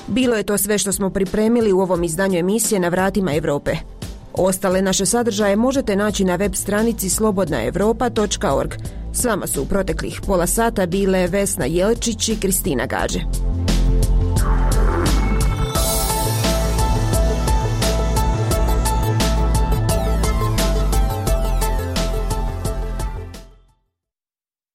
Bilo je to sve što smo pripremili u ovom izdanju emisije Na vratima Europe. Ostale naše sadržaje možete naći na web stranici slobodna europa točka org. S vama su u proteklih pola sata bile Vesna Jelčić i Kristina Gađe.